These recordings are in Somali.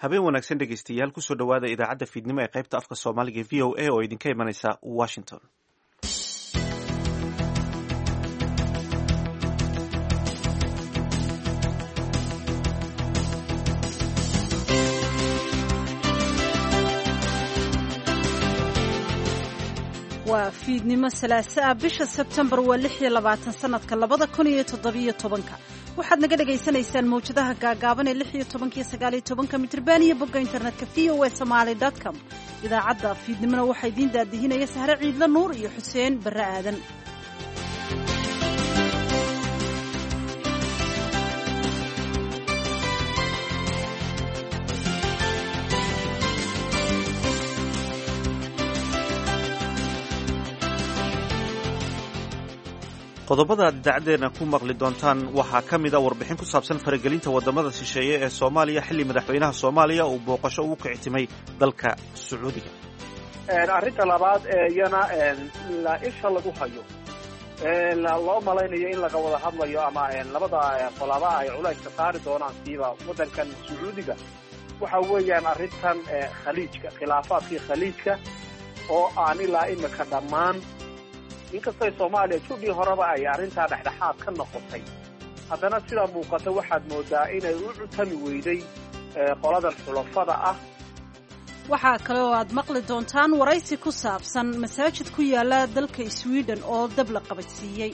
Habeen wanaagsan, dhegeystayaal. Kusoo dhowaada idaacadda fiidnimo ee qaybta afka Soomaaliga VOA oo idinka imanaysa Washington. Waa fiidnimo salaaso ah, bisha Sebtembar waa 26, sanadka 2017-ka. Waxaad naga dhagaysanaysaan mawjadaha gaagaaban ee 16-ka iyo 19-ka mitrban iyo bogga internetka voasomali.com. Idaacadda fiidnimona waxaa idiin daadihinaya Sahre Ciidla Nuur iyo Xuseen Barre Aadan. Qodobada aad idaacaddeenna ku maqli doontaan waxaa ka mid a warbixin ku saabsan faragelinta waddamada shisheeye ee Soomaaliya, xilli madaxweynaha Soomaaliya uu booqasho ugu kicitimay dalka Sacuudiga. Arrinta labaad ee iyana la isha lagu hayo, loo malaynayo in laga wada hadlayo ama labada qolaba ay culayska saari doonaan siiba waddankan Sacuudiga, waxa weeyaan arrintan Khaliijka, khilaafaadkii Khaliijka oo aan ilaa imika dhammaan. Inkastoo Soomaaliya judhii horeba ay arrintaa dhexdhexaad ka noqotay, haddana sidaa muuqata waxaad moodaa inay u cutami weyday qoladan xulafada ah. Waxaa kale oo aad maqli doontaan waraysi ku saabsan masaajid ku yaala dalka Sweden oo dab la qabadsiiyey.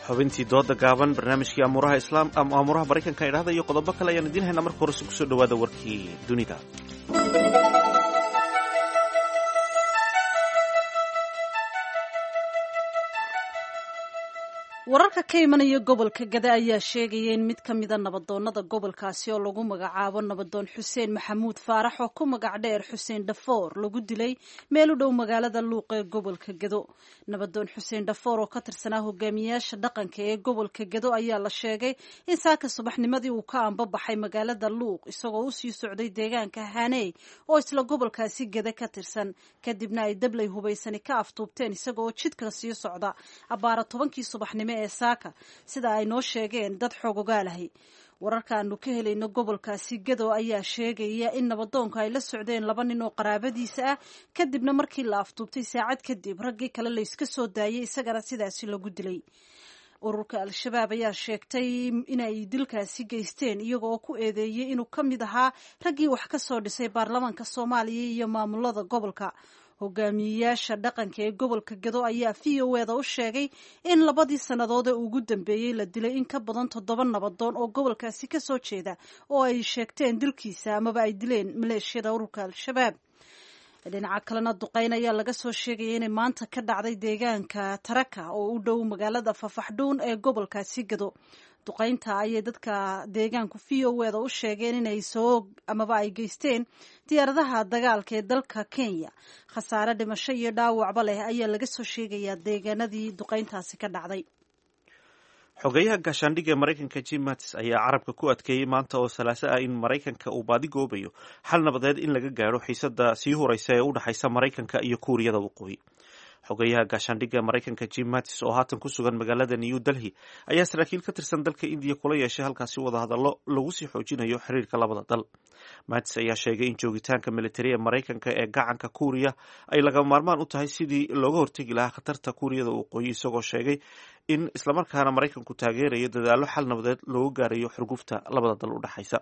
Xubintii dooda gaaban, barnaamijkii amuuraha Islaam ama amuuraha Maraykanka idhahda iyo qodobo kale ayaan idiin haynaa. Marka horese kusoo dhawaada warkii dunida. Wararka ka imanaya gobolka Gada ayaa sheegaya in mid ka mida nabadoonnada gobolkaasi oo lagu magacaabo Nabadoon Xuseen Maxamuud Faarax, oo ku magac dheer Xuseen Dhafoor, lagu dilay meel u dhow magaalada Luuq ee gobolka Gado. Nabadoon Xuseen Dhafoor oo ka tirsanaa hogaamiyaasha dhaqanka ee gobolka Gado ayaa la sheegay in saaka subaxnimadii uu ka ambabaxay magaalada Luuq isagoo usii socday deegaanka Haney oo isla gobolkaasi Gada ka tirsan, kadibna ay dablay hubaysani ka aftuubteen isagaoo jidka sii socda abbaara 10-kii subaxnimo ee saaka, sida ay noo sheegeen dad xoogogaalahay. Wararkaanu ka helayno gobolkaasi Gado ayaa sheegaya in nabadoonku ay la socdeen laba nin oo qaraabadiisa ah, kadibna markii la aftuubtay saacad kadib raggii kale layska soo daayay, isagana sidaasi lagu dilay. Ururka Al-Shabaab ayaa sheegtay inay dilkaasi geysteen, iyaga oo ku eedeeyey inuu ka mid ahaa raggii wax ka soo dhisay baarlamaanka Soomaaliya iyo maamulada gobolka. Hogaamiyeyaasha dhaqanka ee gobolka Gado ayaa VOA-da u sheegay in labadii sannadood ee ugu dambeeyey la dilay in ka badan toddoba nabadoon oo gobolkaasi ka soo jeeda, oo ay sheegteen dilkiisa amaba ay dileen maleeshiyada ururka Al-Shabaab. Dhinaca kalena, duqeyn ayaa laga soo sheegaya inay maanta ka dhacday deegaanka Taraka oo u dhow magaalada Fafaxdhuun ee gobolkaasi Gado. Duqeynta ayay dadka deegaanku VOA-da u sheegeen inay soo amaba ay geysteen diyaaradaha dagaalka ee dalka Kenya. Khasaare dhimasho iyo dhaawacba leh ayaa laga soo sheegayaa deegaanadii duqeyntaasi ka dhacday. Xogeyaha gaashaandhigga ee Maraykanka Jim Mattis ayaa carabka ku adkeeyey maanta oo Salaaso ah in Maraykanka uu baadigoobayo xal nabadeed in laga gaadho xiisada sii huraysa ee u dhexaysa Maraykanka iyo Kuuriyada Waqooyi. Xogeyaha gaashaandhigga Maraykanka Jim Mattis oo haatan ku sugan magaalada New Delhi ayaa saraakiil ka tirsan dalka Indiya kula yeeshay halkaasi wadahadallo lagu sii xoojinayo xiriirka labada dal. Mattis ayaa sheegay in joogitaanka militari ee Maraykanka ee gacanka Kuuriya ay lagama maarmaan u tahay sidii looga hortegi lahaa khatarta Kuuriyada Waqooyi, isagoo sheegay in islamarkaana Maraykanku taageerayo dadaallo xal nabadeed loogu gaarayo xurgufta labada dal u dhexaysa.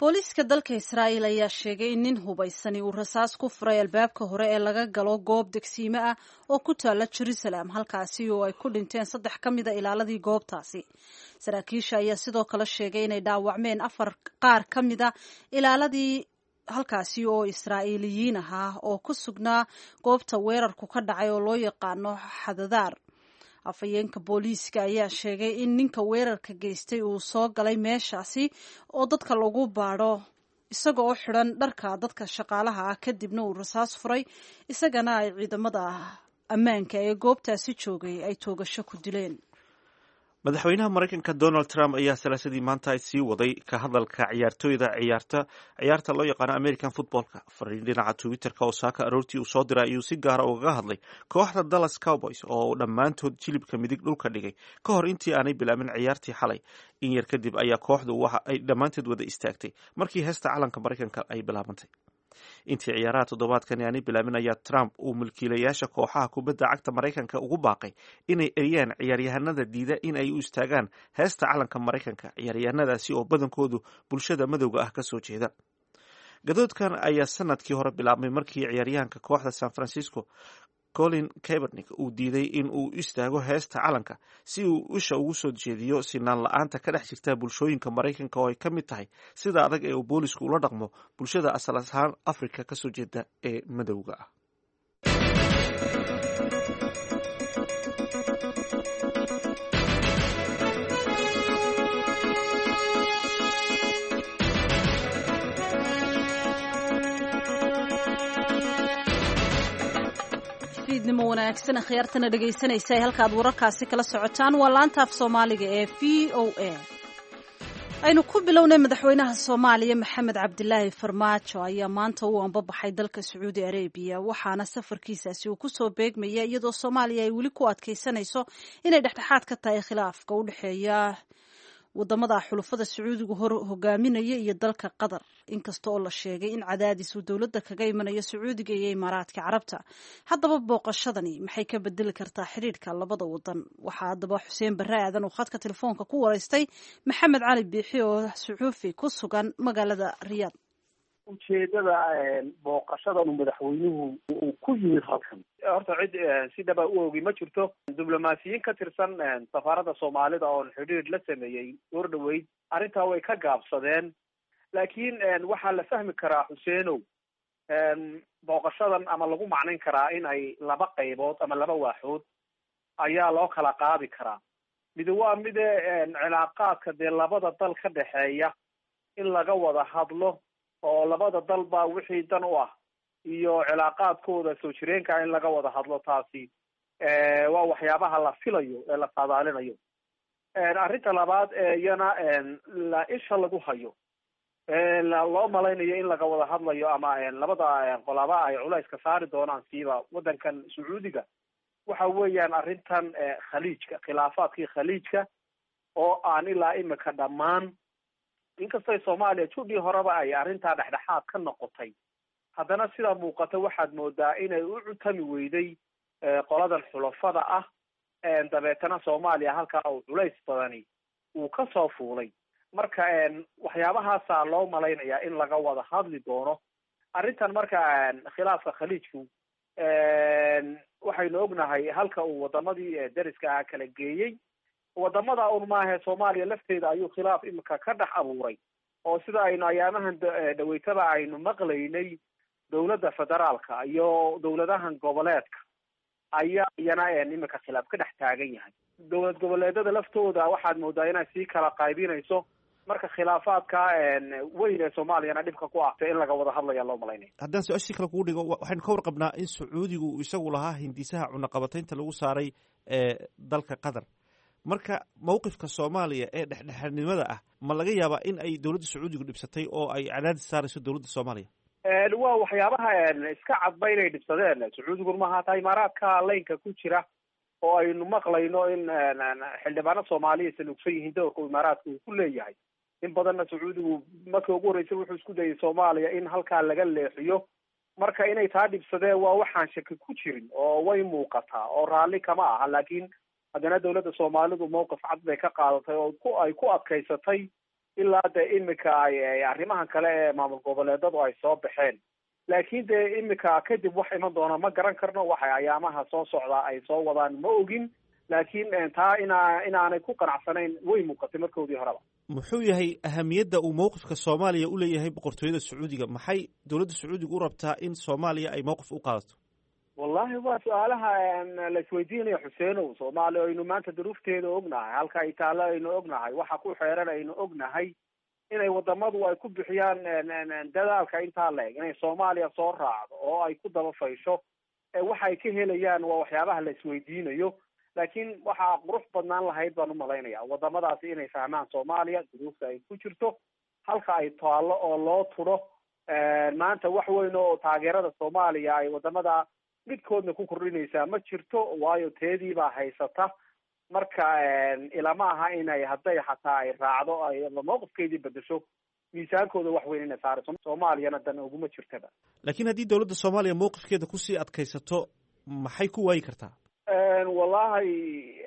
Booliiska dalka Israa'iil ayaa sheegay in nin hubaysani uu rasaas ku furay albaabka hore ee laga galo goob degsiime ah oo ku taalla Jerusalem, halkaasi oo ay ku dhinteen saddex ka mida ilaaladii goobtaasi. Saraakiisha ayaa sidoo kale sheegay inay dhaawacmeen afar qaar ka mida ilaaladii halkaasi oo Israa'iiliyiin ahaa oo ku sugnaa goobta weerarku ka dhacay oo loo yaqaano Xadadaar. Afhayeenka booliiska ayaa sheegay in ninka weerarka geystay uu soo galay meeshaasi oo dadka lagu baadho isaga oo xidhan dharka dadka shaqaalaha ah, kadibna uu rasaas furay, isagana ay ciidamada ammaanka ee goobtaasi joogay ay toogasho ku dileen. Madaxweynaha Maraykanka Donald Trump ayaa salaasadii maanta sii waday ka hadalka ciyaartooyda ciyaarta loo yaqaano American footballka. Fariin dhinaca Twitterka oo saaka aroortii uu soo diray ayuu si gaara ugaga hadlay kooxda Dallas Cowboys oo dhammaantood jilibka midig dhulka dhigay ka hor intii aanay bilaabin ciyaartii xalay. In yar kadib ayaa kooxdu waxa ay dhammaanteed wada istaagtay markii heesta calanka Maraykanka ay bilaabantay. Intii ciyaaraha toddobaadkani aanay bilaabin ayaa Trump uu milkiilayaasha kooxaha kubadda cagta Maraykanka ugu baaqay inay eriyaan ciyaaryahanada diida in ay u istaagaan heesta calanka Maraykanka, ciyaaryahanadaasi oo badankoodu bulshada madowga ah kasoo jeeda. Gadoodkan ayaa sanadkii hore bilaabmay markii ciyaaryahanka kooxda San Francisco Colin Kaepernick uu diiday in uu istaago heesta calanka si uu isha ugu soo jeediyo sinaan la-aanta ka dhex jirta bulshooyinka Maraykanka oo ay ka mid tahay sida adag ee uu boolisku ula dhaqmo bulshada asal ahaan Afrika kasoo jeeda ee madowga ah. Fiidnimo wanaagsan akhyaartana dhegaysanaysa ee halkaad wararkaasi kala socotaan waa laanta af Soomaaliga ee VOA. Aynu ku bilownay, madaxweynaha Soomaaliya Maxamed Cabdilaahi Farmaajo ayaa maanta u ambabaxay dalka Sacuudi Arabiya, waxaana safarkiisaasi uu kusoo beegmaya iyadoo Soomaaliya ay weli ku adkaysanayso inay dhexdhexaad ka tahay khilaafka u dhexeeya wadamada xulufada Sacuudigu hor hogaaminaya iyo dalka Qatar, inkasta oo la sheegay in cadaadis uu dowladda kaga imanayo Sacuudiga iyo Imaaraadka Carabta. Haddaba booqashadani maxay ka bedeli kartaa xidhiidhka labada wadan? Waxaa haddaba Xuseen Barre Aadan uu khadka telefoonka ku waraystay Maxamed Cali Biixi oo suxuufi ku sugan magaalada Riyaad. Ujeedada booqashadan madaxweynuhu uu ku yimid halkan horta cid si dhaba u ogi ma jirto. Diblomaasiyiin ka tirsan safaaradda Soomaalida oon xidhiidh la sameeyey goor dhaweyd arrintaa way ka gaabsadeen, laakiin waxaa la fahmi karaa, Xuseenow, booqashadan ama lagu macnayn karaa in ay laba qaybood ama laba waaxood ayaa loo kala qaadi karaa. Mid waa mide cilaaqaadka dee labada dal ka dhexeeya in laga wada hadlo oo labada dalba wixii dan u ah iyo cilaaqaadkooda soo jireenka in laga wada hadlo, taasi waa waxyaabaha la filayo ee la saadaalinayo. Arrinta labaad iyana la isha lagu hayo, loo malaynayo in laga wada hadlayo ama labada qolaba ay culayska saari doonaan siiba waddankan Sacuudiga, waxa weeyaan arrintan khaliijka, khilaafaadkii khaliijka oo aan ilaa imika dhammaan. Inkastoo Soomaaliya judhii horeba ay arrintaa dhexdhexaad ka noqotay, haddana sidaa muuqata waxaad moodaa inay u cutami weyday qoladan xulafada ah, dabeetana Soomaaliya halkaa uu culays badani uu ka soo fuulay. Marka waxyaabahaasaa loo malaynayaa in laga wada hadli doono arrintan. Marka khilaafka khaliijku waxaynu ognahay halka uu wadamadii dariska ah kala geeyey. Wadamada un maahe, Soomaaliya lafteeda ayuu khilaaf imika ka dhex abuuray, oo sida aynu ayaamahan dhaweytaba aynu maqlaynay dowladda federaalka iyo dowladahan goboleedka ayaa iyana imika khilaaf ka dhex taagan yahay. Dowlad goboleedada laftooda waxaad moodaa inay sii kala qaybinayso. Marka khilaafaadka weyn ee Soomaaliyana dhibka ku ahtay in laga wada hadlaya loo malaynaya. Haddaan su-aashii kale kugu dhigo, waxaynu ka warqabnaa in Sacuudigu uu isagu lahaa hindisaha cunaqabataynta lagu saaray dalka Qatar. Marka mawqifka Soomaaliya ee dhexdhexaadnimada ah ma laga yaabaa in ay dowladda Sacuudigu dhibsatay oo ay cadaadis saarayso dowladda Soomaaliya? Waa waxyaabaha iska cadba inay dhibsadeen Sacuudigun maaha, hataa Imaaraadka laynka ku jira oo aynu maqlayno in xildhibaano Soomaaliya saluugsan yihiin doorka Imaaraadka uu ku leeyahay. In badanna Sacuudigu markii ugu horreysay wuxuu isku dayay Soomaaliya in halkaa laga leexiyo. Marka inay taa dhibsadeen waa waxaan shaki ku jirin oo way muuqataa oo raalli kama aha, laakiin haddana dowladda Soomaalidu mowqif cad bay ka qaadatay oo ay ku adkaysatay ilaa dee imika ay arrimahan kale ee maamul goboleedadu ay soo baxeen. Laakiin dee imika kadib wax iman doona ma garan karno, waxay ayaamaha soo socdaa ay soo wadaan ma ogin, laakiin taa inaanay ku qanacsanayn way muuqatay markoodii horeba. Muxuu yahay ahamiyadda uu mowqifka Soomaaliya u leeyahay boqortooyada Sacuudiga? Maxay dowladda Sacuudiga u rabtaa in Soomaaliya ay mowqif u qaadato? Wallahi waa su-aalaha la isweydiinayo, Xuseenow. Soomaaliya aynu maanta duruufteeda ognahay, halka ay taallo aynu ognahay, waxa ku xeeran aynu ognahay, inay wadamadu ay ku bixiyaan dadaalka intaa la eg inay Soomaaliya soo raacdo oo ay ku daba faysho, waxa ay ka helayaan waa waxyaabaha la isweydiinayo. Laakiin waxaa qurux badnaan lahayd baan umalaynaya wadamadaasi inay fahmaan Soomaaliya duruufta ay ku jirto, halka ay taallo oo loo tudho. Maanta wax weyn oo taageerada Soomaaliya ay wadamada midkoodna ku kordhinaysaa ma jirto, waayo teedii baa haysata. Marka ilama aha inay hadday xataa ay raacdo ay mowqifkeedii bedesho, miisaankooda wax weyn inay saarayso, Soomaaliyana dan uguma jirtaba. Laakiin haddii dowladda Soomaaliya mowqifkeeda kusii adkaysato, maxay ku waayi kartaa? Wallahi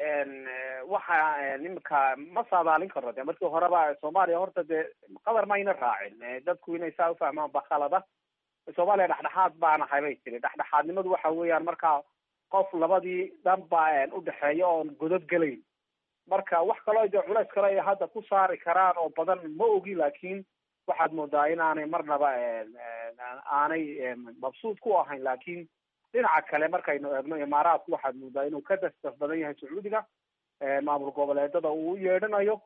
waxa imika ma saadaalin karno. De markii horeba Soomaaliya horta dee Qatar mayna raacin. Dadku inay saa ufahmaan ba khalada. Soomaaliya dhexdhexaad baanahay bay tiri. Dhexdhexaadnimadu waxa weeyaan marka qof labadii dhan ba udhexeeya oon godad gelayn. Marka wax kaloo dee culays kale ay hadda ku saari karaan oo badan ma ogi, laakiin waxaad moodaa inaanay marnaba aanay mabsuud ku ahayn. Laakiin dhinaca kale markaynu eegno, Imaaraadku waxaad moodaa inuu ka dasdaf badan yahay Sacuudiga, maamul goboleedada uu u yeedhanayo,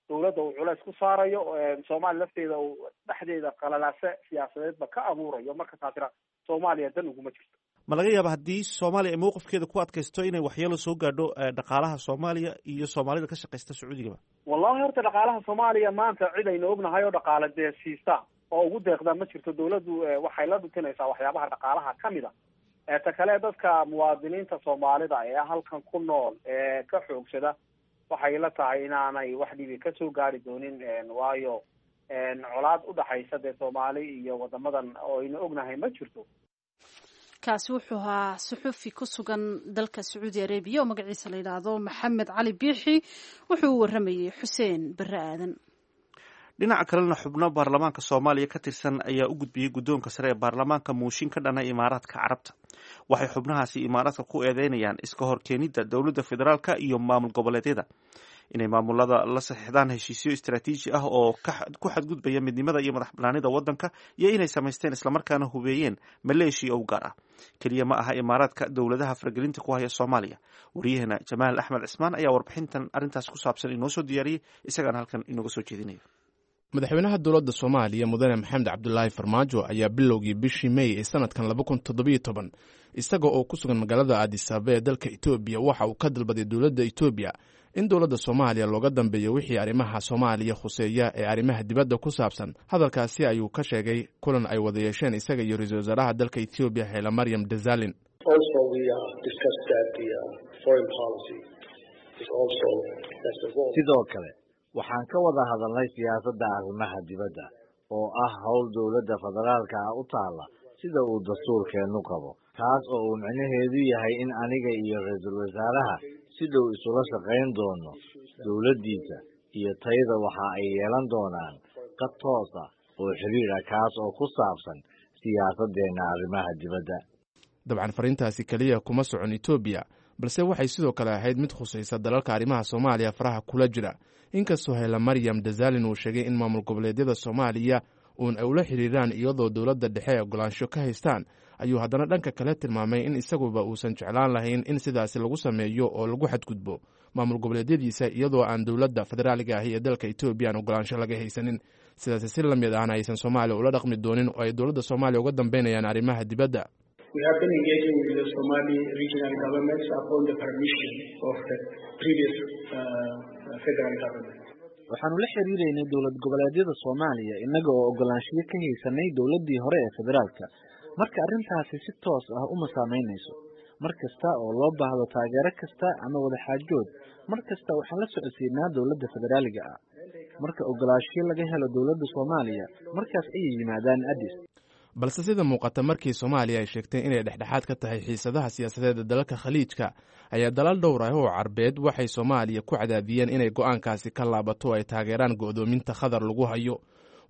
dawladda uu culays ku saarayo, Soomaaliya lafteeda uu dhexdeeda qalalaase siyaasadeedba ka abuurayo. Marka taasina Soomaaliya dan uguma jirto. Ma laga yaaba haddii Soomaaliya ay mowqifkeeda ku adkaysto inay waxyeelo soo gaadho dhaqaalaha Soomaaliya iyo Soomaalida ka shaqaysta Sacuudigaba? Wallahi horta dhaqaalaha Soomaaliya maanta cid aynu ognahay oo dhaqaale dee siista oo ugu deeqda ma jirto. Dawladdu waxay la dhutinaysaa waxyaabaha dhaqaalaha kamid a. Ta kale, dadka muwaadiniinta Soomaalida ee halkan ku nool ee ka xoogsada, waxay la tahay inaanay wax dhibi kasoo gaari doonin, waayo colaad udhaxaysa dee Soomaali iyo wadamadan oo aynu ognahay ma jirto. Kaasi wuxuu ahaa suxufi ku sugan dalka Sacuudi Arabiya oo magaciisa la yidhaahdo Maxamed Cali Biixi. Wuxuu u waramayey Xuseen Barre Aadan. Dhinaca kalena, xubno baarlamaanka Soomaaliya ka tirsan ayaa u gudbiyey guddoonka sare ee baarlamaanka muushin ka dhana Imaaraadka Carabta. Waxay xubnahaasi Imaaraadka ku eedeynayaan iska horkeenidda dowladda federaalka iyo maamul goboleedyada, inay maamulada la saxiixdaan heshiisyo istaraatiiji ah oo ku xadgudbaya midnimada iyo madax banaanida waddanka, iyo inay samaysteen islamarkaana hubeeyeen maleeshiya u gaar ah. Keliya ma aha Imaaraadka dowladaha faragelinta ku haya Soomaaliya. Wariyaheena Jamaal Axmed Cismaan ayaa warbixintan arrintaas ku saabsan inoo soo diyaariyey, isagaana halkan inooga soo jeedinaya. Madaxweynaha dowladda Soomaaliya, Mudane Maxamed Cabdulaahi Farmaajo, ayaa bilowgii bishii Mey ee sanadkan 2017, isaga oo ku sugan magaalada Aadisaaba ee dalka Etoobiya, waxa uu ka dalbaday dowladda Etoobiya in dowladda Soomaaliya looga dambeeyo wixii arrimaha Soomaaliya khuseeya ee arrimaha dibadda ku saabsan. Hadalkaasi ayuu ka sheegay kulan ay wada yeesheen isaga iyo ra-iisul wasaaraha dalka Etoobiya, Xeela Maryam Desalin. Sidoo kale waxaan ka wada hadalnay siyaasadda arrimaha dibadda oo ah howl dowladda federaalka ah u taalla sida uu dastuurkeennu qabo, taas oo uu micnaheedu yahay in aniga iyo ra-iisul wasaaraha si dhow isula shaqayn doono. Dowladdiisa iyo tayada waxa ay yeelan doonaan qad toos ah oo xiriir ah, kaas oo ku saabsan siyaasaddeenna arrimaha dibadda. Dabcan fariintaasi keliya kuma socon Etoobiya, balse waxay sidoo kale ahayd mid khusaysa dalalka arrimaha Soomaaliya faraha kula jira. Inkastoo Hayla Maryam Desalin uu sheegay in maamul goboleedyada Soomaaliya uun ay ula xiriiraan iyadoo dowladda dhexe ay ogolaansho ka haystaan, ayuu haddana dhanka kale tilmaamay in isaguba uusan jeclaan lahayn in sidaasi lagu sameeyo oo lagu xadgudbo maamul goboleedyadiisa iyadoo aan dowladda federaaliga ahi ee dalka Etoobiya aan ogolaansho laga haysanin. Sidaasi si la mid ahna aysan Soomaaliya ula dhaqmi doonin oo ay dowladda Soomaaliya uga dambeynayaan arrimaha dibadda. We have been engaging with the Somali regional governments upon the permission of the previous federal government. Waxaanu la xiriireynay dowlad goboleedyada Soomaaliya innaga oo ogolaanshiyo ka haysanay dowladdii hore ee federaalka. Marka arrintaasi si toos ah uma saameynayso. Mar kasta oo loo baahdo taageero kasta ama wadaxaajood, mar kasta waxaan la socodsiinaa dowladda federaaliga ah. Marka ogolaanshiyo laga helo dowladda Soomaaliya, markaas ayay yimaadaan Addis. Balse sida muuqata, markii Soomaaliya ay sheegtay inay dhexdhexaad ka tahay xiisadaha siyaasadeed ee dalalka Khaliijka, ayaa dalal dhowr ah oo Carbeed waxay Soomaaliya ku cadaadiyeen inay go'aankaasi ka laabato oo ay taageeraan go'doominta Khadar lagu hayo.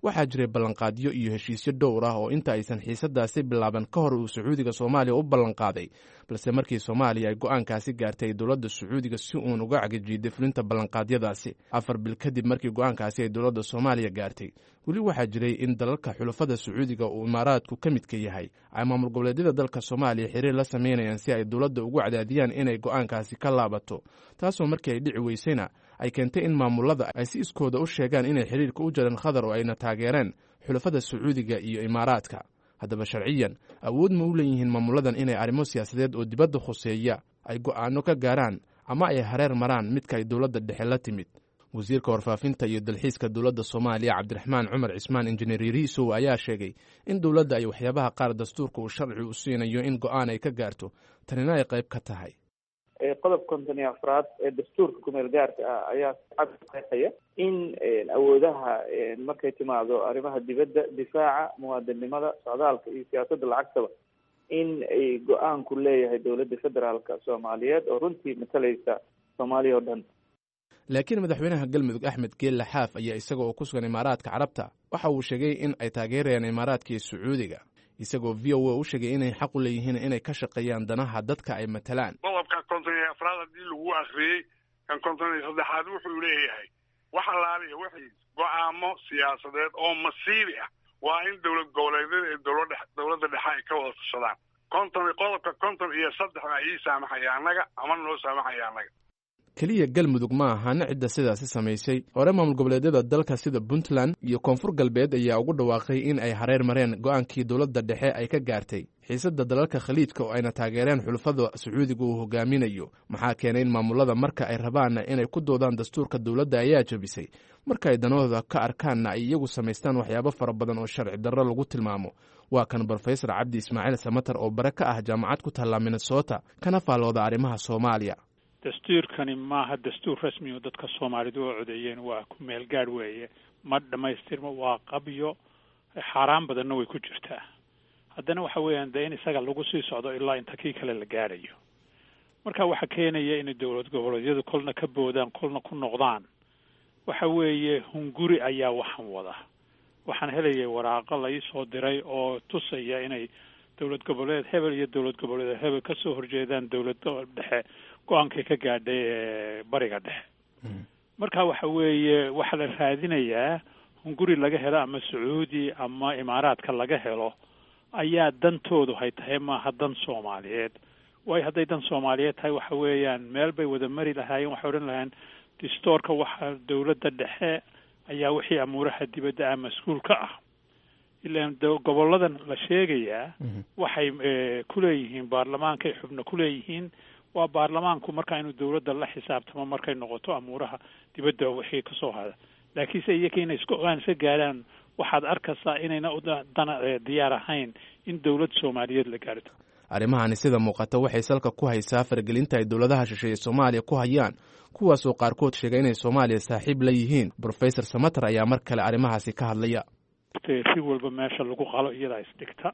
Waxaa jiray ballanqaadyo iyo heshiisyo dhowr ah oo inta aysan xiisadaasi bilaaban ka hor uu Sacuudiga Soomaaliya u ballanqaaday, balse markii Soomaaliya ay go'aankaasi gaartay, dowladda Sacuudiga si uun uga cagajiiday fulinta ballanqaadyadaasi. 4 bil kadib markii go'aankaasi ay dowladda Soomaaliya gaartay, weli waxaa jiray in dalalka xulafada Sacuudiga uu Imaaraadku ka midka yahay ay maamul goboleedyada dalka Soomaaliya xiriir la sameynayaan si ay dowladda ugu cadaadiyaan inay go'aankaasi ka laabato, taasoo markii ay dhici weysayna ay keentay in maamulada ay si iskooda u sheegaan inay xiriirka u jareen Khadar oo ayna taageereen xulafada Sacuudiga iyo Imaaraadka. Haddaba sharciyan awood ma u leeyihiin maamuladan inay arrimo siyaasadeed oo dibadda khuseeya ay go'aano ka gaaraan ama ay hareer maraan midka ay dowladda dhexe la timid. Wasiirka warfaafinta iyo dalxiiska dowladda Soomaaliya, Cabdiraxmaan Cumar Cismaan Injineer Yariisow, ayaa sheegay in dowladda ay waxyaabaha qaar dastuurka uu sharci u siinayo in go'aan ay ka gaarto, tanina ay qayb ka tahay. Qodob 54aad ee dastuurka kumeel gaarka ah ayaa cad qeexaya in awoodaha markay timaado arrimaha dibadda, difaaca, muwaadinimada, socdaalka iyo siyaasadda lacagtaba in ay go-aanku leeyahay dowladda federaalka Soomaaliyeed oo runtii matalaysa Soomaaliya oo dhan. Laakiin madaxweynaha Galmudug, Axmed Geelle Xaaf, ayaa isaga oo ku sugan Imaaraadka Carabta waxa uu sheegay in ay taageerayaan Imaaraadka iyo Sacuudiga, isagoo VOA u sheegay inay xaq u leeyihiin inay ka shaqeeyaan danaha dadka ay matalaan. Qodobka 54aad haddii lagu akriyey, kan 53aad wuxuu leeyahay wax allaaliya wixii go-aamo siyaasadeed oo masiibi ah waa in dowlad goboleedyada iyo dowladda dhexe ay ka wada tashadaan. Qodobka 53 baa ii saamaxaya annaga ama noo saamaxaya annaga. Keliya Galmudug ma ahan cidda sidaasi samaysay. Hore maamul goboleedyada dalka sida Puntland iyo Koonfur Galbeed ayaa ugu dhawaaqay in ay hareer mareen go'aankii dowladda dhexe ay ka gaartay xiisadda dalalka Khaliijka oo ayna taageereen xulufada Sacuudiga uu hogaaminayo. Maxaa keenay in maamulada marka ay rabaanna inay ku doodaan dastuurka dowladda ayaa jebisay, marka ay danahooda ka arkaanna ay iyagu samaystaan waxyaabo fara badan oo sharci darro lagu tilmaamo? Waa kan Brofesor Cabdi Ismaaciil Samatar oo bare ka ah jaamacad ku taalla Minnesota kana faallooda arrimaha Soomaaliya. Dastuurkani maaha dastuur rasmi oo dadka Soomaalidu oo codeeyeen, waa ku meel gaadh weeye, ma dhamaystirmo, waa qabyo, xaaraan badanna way ku jirtaa. Haddana waxa weeyaan dee in isaga lagu sii socdo ilaa inta kii kale la gaadhayo. Marka waxa keenaya inay dowlad goboleedyadu kolna ka boodaan kolna ku noqdaan waxa weeye hunguri ayaa waxan wada. Waxaan helayay waraaqo la ii soo diray oo tusaya inay dowlad goboleed hebel iyo dowlad goboleed hebel ka soo horjeedaan dowlad dhexe go-aankay ka gaadhay ee bariga dhexe. Marka waxa weeye waxaa la raadinayaa hunguri laga helo ama Sacuudi ama Imaaraadka laga helo ayaa dantoodu hay tahay, maaha dan Soomaaliyeed. Waayo hadday dan Soomaaliyeed tahay waxa weeyaan meel bay wada mari lahaayeen, waxay odhan lahaayeen distoorka waxa dowladda dhexe ayaa wixii amuuraha dibadda ah mas-uul ka ah. Ilaan goboladan la sheegayaa waxay kuleeyihiin baarlamaankay xubno kuleeyihiin, waa baarlamaanku markaa inuu dowladda la xisaabtamo markay noqoto amuuraha dibadda wixii kasoo hada. Laakiinse iyaga inay isku ogaan iska gaaraan waxaad arkaysaa inayna dana diyaar ahayn in dowlad Soomaaliyeed la gaarto. Arrimahani sida muuqata waxay salka ku haysaa faragelinta ay dowladaha shisheeye Soomaaliya ku hayaan, kuwaasoo qaarkood sheegay inay Soomaaliya saaxiib la yihiin. Brofesor Samater ayaa mar kale arrimahaasi ka hadlaya. Si walba meesha lagu qalo iyadaa isdhigta.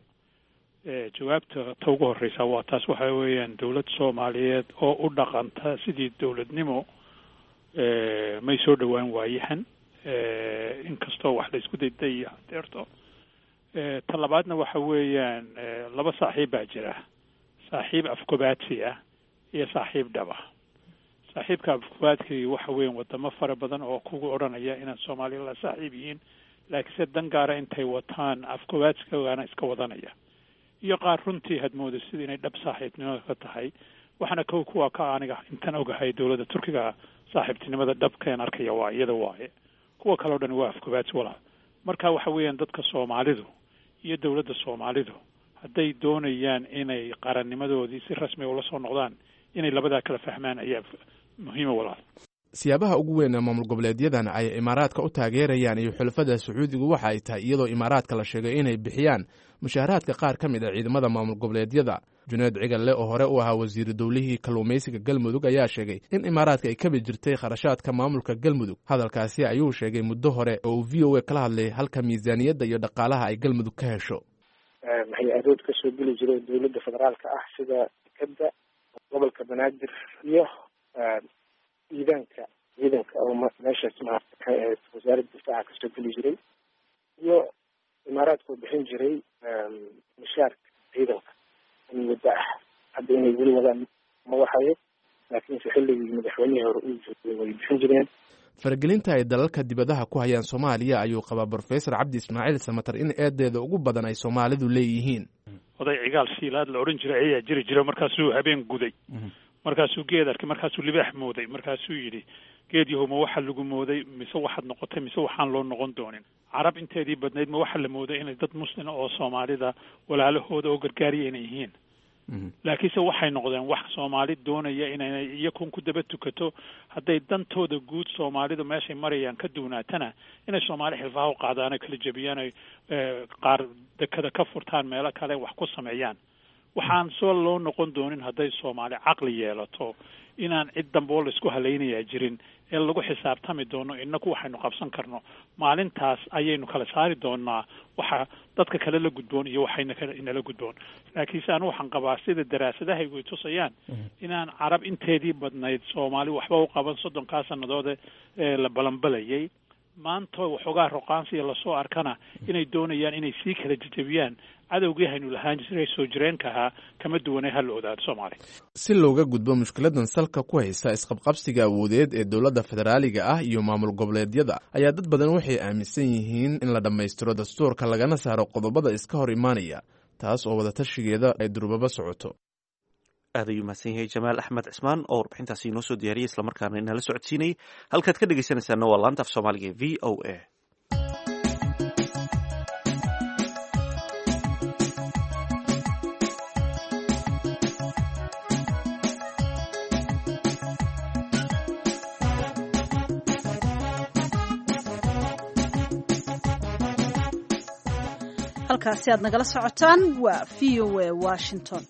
Jawaabta ta ugu horreysa waa taas, waxa weeyaan dowlad Soomaaliyeed oo u dhaqanta sidii dowladnimo may soo dhowaan waayahan, inkastoo wax la isku dayday iyo hadeerto. Ta labaadna waxa weeyaan laba saaxiib baa jira, saaxiib afgobaadsi ah iyo saaxiib dhaba. Saaxiibka afgobaadkii waxa weeyaan wadamo fara badan oo kugu odhanaya inaad Soomaaliya la saaxiib yihiin, laakiinse dan gaara intay wataan afgobaadsigaana iska wadanaya, iyo qaar runtii had mooda sida inay dhab saaxiibtinimada ka tahay. Waxaana kow kuwa ka aniga intan ogahay dowladda Turkiga saaxiibtinimada dhabkeen arkaya waa iyada waaye, kuwa kaleo dhan waa afgobaadsi walaal. Marka waxa weeyaan dadka Soomaalidu iyo dowladda Soomaalidu hadday doonayaan inay qarannimadoodii si rasmiga ula soo noqdaan, inay labadaa kala fahmaan ayaa muhiima walaal. Siyaabaha ugu weyn ee maamul goboleedyadan ay Imaaraadka u taageerayaan iyo xulafada Sacuudigu waxa ay tahay iyadoo Imaaraadka la sheegay inay bixiyaan mushaaharaadka qaar ka mid a ciidamada maamul goboleedyada. Junayd Cigalle oo hore u ahaa wasiiru dowlihii kalluumaysiga Galmudug ayaa sheegay in Imaaraadka ay kabi jirtay kharashaadka maamulka Galmudug. Hadalkaasi ayuu sheegay muddo hore oo uu VOA kala hadlay halka miisaaniyadda iyo dhaqaalaha ay Galmudug ka hesho. Hay-adood kasoo geli jiray dowladda federaalka ah sida dekeda gobolka Banaadir iyo ciidanka ciidanka oo meeshaas maarata wasaaradda difaaca kasoo geli jiray, iyo Imaaraadka oo bixin jiray mishaarka ciidanka in muddo ah. Hadda inay weli wadaan ma waxayo, laakiinse xilligii madaxweynihii hore uu joogay way bixin jireen. Faragelinta ay dalalka dibadaha ku hayaan Soomaaliya ayuu qabaa Brofesor Cabdi Ismaaciil Samater in eedeeda ugu badan ay Soomaalidu leeyihiin. Oday Cigaal Shiilaad la odhan jiray ayaa jiri jira, markaasuu habeen guday, markaasuu geed arkay, markaasuu libaax mooday, markaasuu yidhi geed yahow, ma waxa lagu mooday mise waxaad noqotay mise waxaan loo noqon doonin? Carab inteedii badnayd ma waxa la mooday inay dad muslima oo Soomaalida walaalahooda oo gargaariya inay yihiin? Laakiinse waxay noqdeen wax Soomaali doonaya inay iyakun ku daba tukato. Hadday dantooda guud Soomaalidu meeshay marayaan ka duwnaatana, inay Soomaali xilfaha u qaadaan oy kala jebiyaan, oy qaar dekada ka furtaan, meelo kale wax ku sameeyaan. Waxaan soo loo noqon doonin hadday Soomaali caqli yeelato inaan cid dambe oo laisku halaynayaa jirin ee lagu xisaabtami doono inaku waxaynu qabsan karno. Maalintaas ayaynu kala saari doonaa waxa dadka kale la gudboon iyo waxayna inala gudboon. Laakiinse anu waxaan qabaa, sida daraasadahaygu ay tusayaan, inaan Carab inteedii badnayd Soomaali waxba u qaban 30-kaa sannadoode ee la balanbalayay. Maanta waxoogaa roqaansiya lasoo arkana inay doonayaan inay sii kala jejebiyaan. Cadowgii haynu lahaan jiray soo jireenka ahaa kama duwanay. Ha la ogaado Soomaaliya. Si looga gudbo mushkiladan salka ku haysa isqabqabsiga awoodeed ee dowladda federaaliga ah iyo maamul goboleedyada, ayaa dad badan waxay aaminsan yihiin in la dhammaystiro dastuurka, lagana saaro qodobada iska hor imaanaya, taas oo wadatashigeeda ay durbaba socoto. Aad ayuu mahadsan yahay Jamaal Axmed Cismaan oo warbixintaasi inoo soo diyaariyay, islamarkaana inala socodsiinayay. Halkaad ka dhegeysanaysaana waa laanta af Soomaaliga ee VOA. Halkaasi aad nagala socotaan waa VOA Washington.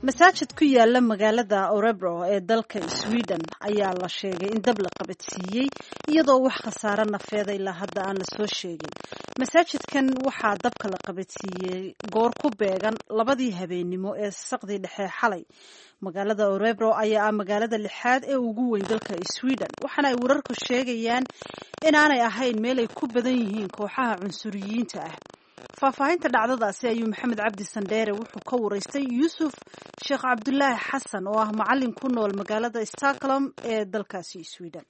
Masaajid ku yaala magaalada Orebro ee dalka Sweden ayaa la sheegay in dab la qabadsiiyey, iyadoo wax khasaare nafeeda ilaa hadda aan lasoo sheegin. Masaajidkan waxaa dabka la qabadsiiyey goor ku beegan 2dii habeennimo ee saqdii dhexe xalay. Magaalada Orebro ayaa ah magaalada lixaad ee ugu weyn dalka Sweden, waxaana ay wararku sheegayaan inaanay ahayn meel ay ku badan yihiin kooxaha cunsuriyiinta ah. Faahfaahinta dhacdadaasi ayuu Maxamed Cabdi Sandheere wuxuu ka wareystay Yuusuf Sheekh Cabdulaahi Xasan oo ah macalin ku nool magaalada Stockholm ee dalkaasi Sweden.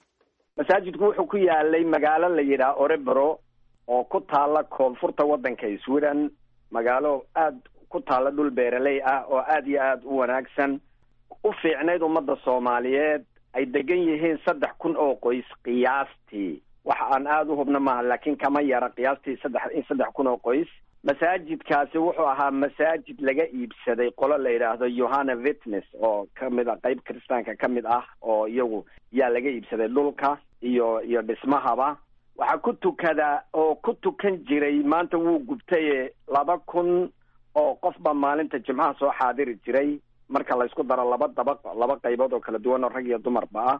Masaajidku wuxuu ku yaalay magaalo la yidhaah Orebro oo ku taala koonfurta waddanka Sweden, magaalo aad ku taala dhul beeraley ah oo aad iyo aad u wanaagsan, u fiicnayd ummadda Soomaaliyeed, ay degan yihiin 3000 oo qoys qiyaastii. Wax aan aada u hubna maaha, laakiin kama yara qiyaastii 3000 oo qoys. Masaajidkaasi wuxuu ahaa masaajid laga iibsaday qolo la yidhaahdo Johanna Witness oo kamid a qeyb kristaanka ka mid ah, oo iyagu yaa laga iibsaday dhulka iyo dhismahaba. Waxaa ku tukada oo ku tukan jiray, maanta wuu gubtaye, 2000 oo qof baa maalinta Jimcaha soo xaadiri jiray, marka la isku daro laba dabaq, laba qaybood oo kala duwan oo rag iyo dumarba ah.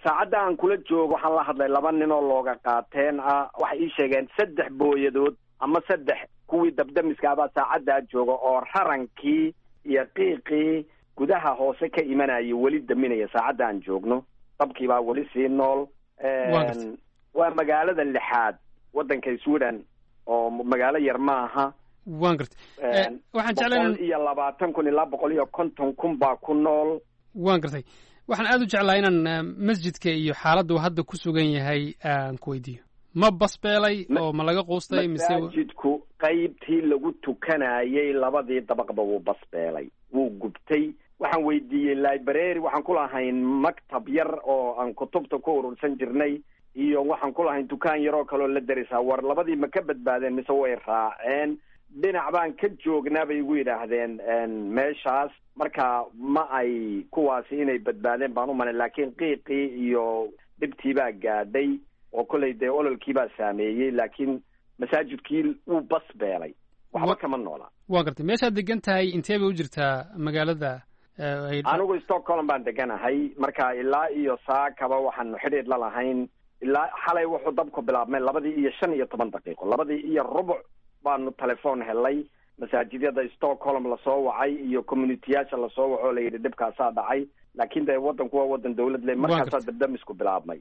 Saacadda aan kula joogo waxaan la hadlay laba nin oo looga qaateen ah. Waxay ii sheegeen saddex booyadood ama saddex kuwii dabdamiska abaa saacaddaa jooga oo rarankii iyo qiiqii gudaha hoose ka imanayay weli daminaya. Saacadda aan joogno dabkii baa weli sii nool. Waa magaalada lixaad waddanka Sweden oo magaalo yar maaha. Waan gartay. Waxaan jeclaa 120,000 ilaa 150,000 baa ku nool. Waan gartay. Waxaan aada u jeclaa inaan masjidka iyo xaaladdu hadda ku sugan yahay aan ku weydiiyo. Ma basbeelay oo ma laga quustay mise? Masaajidku qaybtii lagu tukanayay labadii dabaqba wuu basbeelay, wuu gubtay. Waxaan weydiiyey library, waxaan ku lahayn maktab yar oo aan kutubta ku urursan jirnay, iyo waxaan ku lahayn dukaan yar oo kaleoo la derisaa. War labadii ma ka badbaadeen mise way raaceen? Dhinac baan ka joognaa bay igu yidhaahdeen meeshaas. Marka ma ay kuwaasi inay badbaadeen baan u malay, laakiin qiiqii iyo dhibtii baa gaadhay oo kollay dee ololkii baa saameeyey, laakiin masaajidkii wuu bas beelay, waxba kama noolaa. Waa gartay. Meeshaad degan tahay intee bay u jirtaa magaalada? Anigu Stockholm baan deganahay. Marka ilaa iyo saakaba waxaanu xidhiidh la lahayn ilaa xalay wuxuu dabku bilaabmay 2:15, 2:15 baanu telefoon helay, masaajidyada Stockholm lasoo wacay iyo communityyaasha lasoo waco, la yidhi dhibkaasaa dhacay. Laakiin dee waddanku waa waddan dawlad le, markaasaa dabdamisku bilaabmay.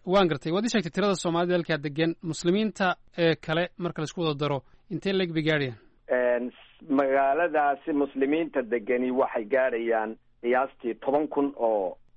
Waan gartay. Waad ii sheegtay tirada Soomaalida halkaa degan. Muslimiinta ee kale marka laisku wada daro intee leeg bay gaadhayaan? Magaaladaasi muslimiinta degani waxay gaadhayaan qiyaastii 10,000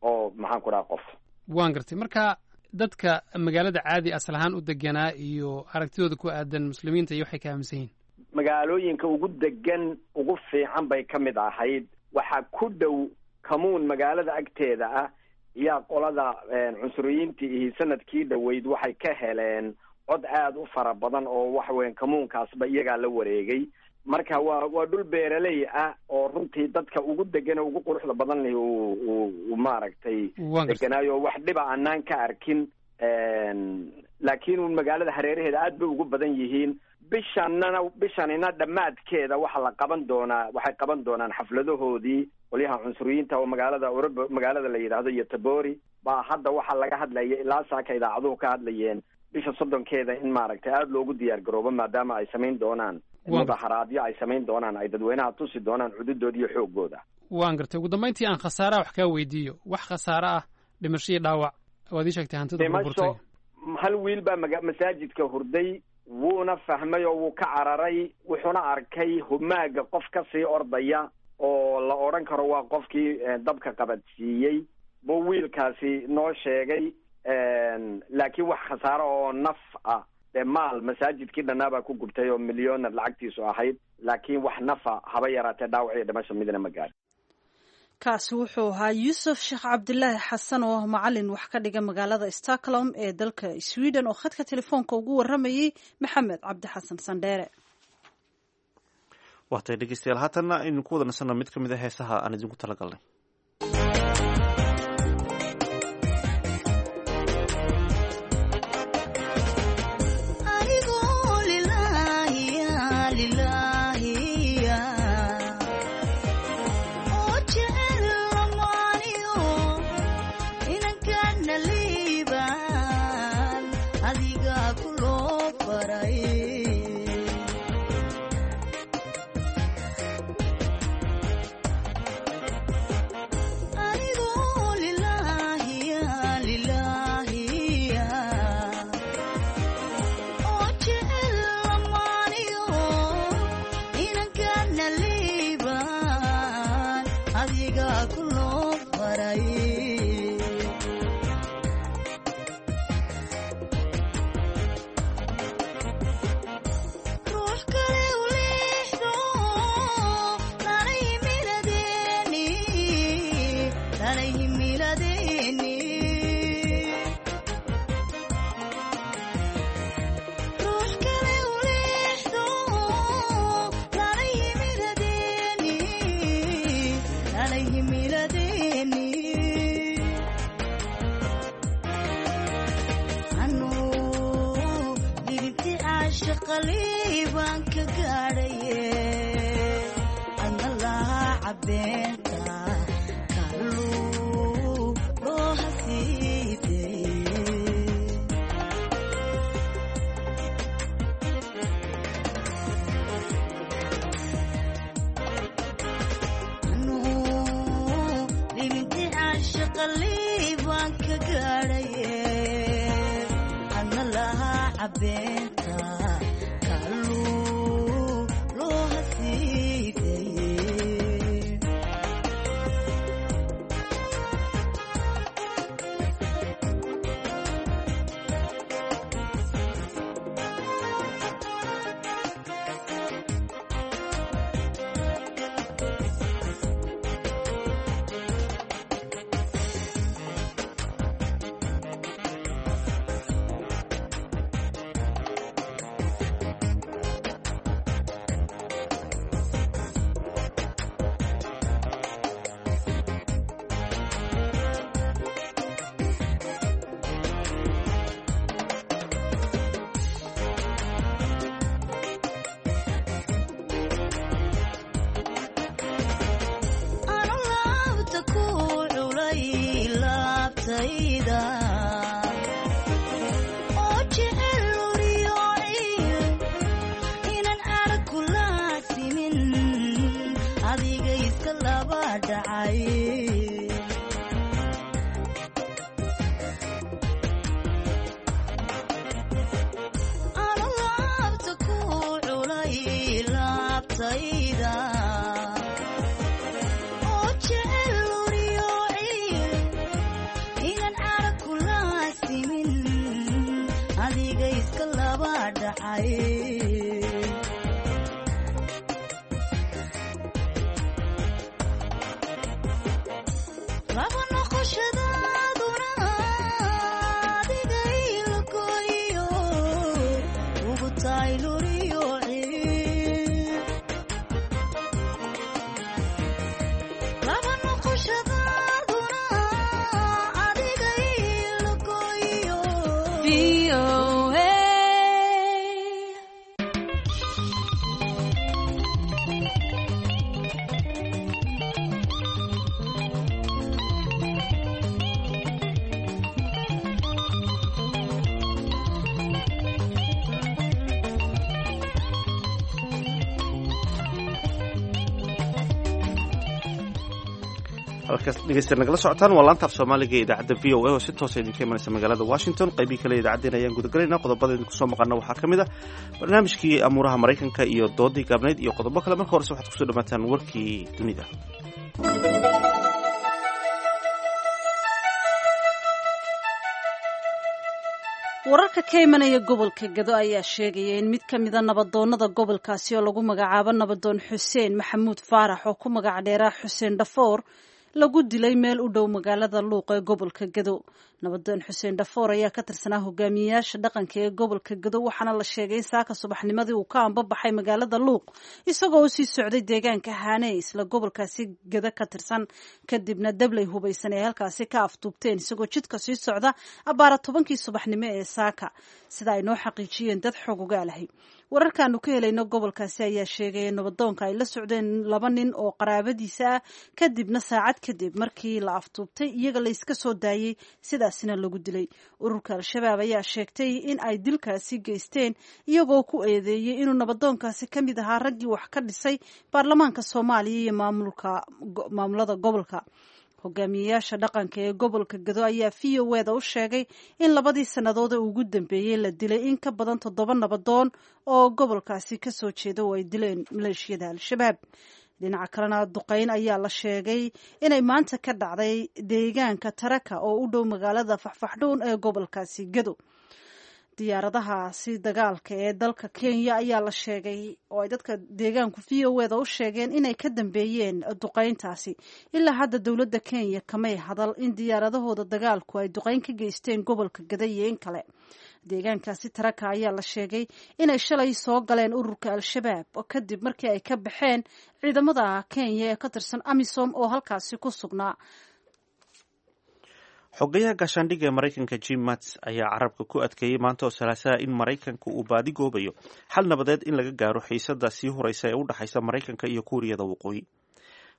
oo maxaan ku dhaha qof. Waan gartay. Marka dadka magaalada caadi asal ahaan u deganaa iyo aragtidooda ku aadan muslimiinta iyo waxay ka aaminsan yihiin? Magaalooyinka ugu degan, ugu fiican bay ka mid ahayd. Waxaa ku dhow kamuun magaalada agteeda ah yaa qolada cunsuriyiintii ihi sanadkii dhoweyd waxay ka heleen cod aada u fara badan, oo waxa weyan kamuunkaasba iyagaa la wareegay. Marka waa dhul beeraley ah oo runtii dadka ugu degan oo ugu quruxda badan leh uu maaragtay deganaayo, wax dhiba anaan ka arkin. Laakiin un magaalada hareeraheeda aad bay ugu badan yihiin. Bishanana bishanina dhammaadkeeda waxa la qaban doonaa, waxay qaban doonaan xafladahoodii qolyaha cunsuriyiinta oo magaalada Orobo, magaalada la yidhaahdo Yotabori baa hadda waxaa laga hadlaya ilaa saaka idaacaduhu ka hadlayeen bisha 30-keeda in maaragtay aada loogu diyaar garoobo, maadaama ay samayn doonaan mudaharaadyo ay samayn doonaan, ay dadweynaha tusi doonaan cududooda iyo xoogooda. Waan gartay. Ugu dambeyntii aan khasaaraha wax kaa weydiiyo, wax khasaare ah, dhimasho iyo dhaawac, waad ii sheegtay hantida burburtay. Hal wiil baa masaajidka hurday, wuuna fahmay oo wuu ka cararay, wuxuuna arkay humaaga qof kasii ordaya oo la odhan karo waa qofkii dabka qabadsiiyey buu wiilkaasi noo sheegay. Laakiin wax khasaaro oo naf ah, dee maal masaajidkii dhannaabaa ku gubtay oo milyonar lacagtiisu ahayd, laakiin wax nafa haba yaraatee dhaawac iyo dhimasho midna ma gaadhin. Kaasi wuxuu ahaa Yuusuf Sheekh Cabdilaahi Xasan oo ah macalin wax ka dhiga magaalada Stockholm ee dalka Sweden oo khadka telefoonka ugu waramayey Maxamed Cabdi Xasan Sandheere. Waatay dhegeystayaal, haatanna aynu ku wada nasanno mid ka mid a heesaha aan idinku talagalnay. VOA. Halkaas dhegeysta nagala socotaan waa laanta af soomaaliga ee idaacadda VOA oo si toosa idinka imanaysa magaalada Washington. Qaybihii kale idaacaddeen ayaan gudagalaynaa. Qodobada idinku soo maqana waxaa ka mid ah barnaamijkii amuuraha Maraykanka iyo doodii gaabnayd iyo qodobo kale. Marka horese waxaad kusoo dhawaataan warkii dunida. Wararka ka imanaya gobolka Gado ayaa sheegaya in mid ka mida nabadoonada gobolkaasi oo lagu magacaabo nabadoon Xuseen Maxamuud Faarax oo ku magac dheeraa Xuseen Dhafoor lagu dilay meel u dhow magaalada Luuq ee gobolka Gado. Nabadoon Xuseen Dhafoor ayaa ka tirsanaa hogaamiyeyaasha dhaqanka ee gobolka Gado, waxaana la sheegay in saaka subaxnimadii uu ka ambabaxay magaalada Luuq isagoo u sii socday deegaanka Haane isla gobolkaasi Gado ka tirsan. Kadibna dablay hubaysan ee halkaasi ka afduubteen isagoo jidka sii socda abbaara 10kii subaxnimo ee saaka, sida ay noo xaqiijiyeen dad xog ogaalahay. Wararkaanu ka helayno gobolkaasi ayaa sheegaya in nabadoonka ay la socdeen laba nin oo qaraabadiisa ah, kadibna saacad kadib markii la afduubtay iyaga la iska soo daayey, sidaasina lagu dilay. Ururka Al-Shabaab ayaa sheegtay in ay dilkaasi geysteen iyagoo ku eedeeyey inuu nabadoonkaasi ka mid ahaa raggii wax ka dhisay baarlamaanka Soomaaliya iyo maamulada gobolka. Hogaamiyeyaasha dhaqanka ee gobolka Gado ayaa VOA da u sheegay in labadii sannadood ee ugu dambeeyey la dilay in ka badan 7 nabadoon oo gobolkaasi ka soo jeeda oo ay dileen maleeshiyada Al-Shabaab. Dhinaca kalena, duqeyn ayaa la sheegay inay maanta ka dhacday deegaanka Taraka oo u dhow magaalada Faxfaxdhuun ee gobolkaasi Gado. Diyaaradahaasi dagaalka ee dalka Kenya ayaa la sheegay oo ay dadka deegaanku VOA da u sheegeen inay ka dambeeyeen duqeyntaasi. Ilaa hadda dowladda Kenya kamay hadal in diyaaradahooda dagaalku ay duqeyn ka geysteen gobolka Gada iyo in kale. Deegaankaasi Taraka ayaa la sheegay inay shalay soo galeen ururka Al-Shabaab kadib markii ay ka baxeen ciidamada Kenya ee ka tirsan AMISOM oo halkaasi ku sugnaa. Xogayaha gaashaandhigga ee Maraykanka Jim Mattis ayaa carabka ku adkeeyey maanta oo Salaasaha in Maraykanka uu baadi goobayo xal nabadeed in laga gaaro xiisada sii horeysa ee u dhexaysa Maraykanka iyo Kuuriyada Waqooyi.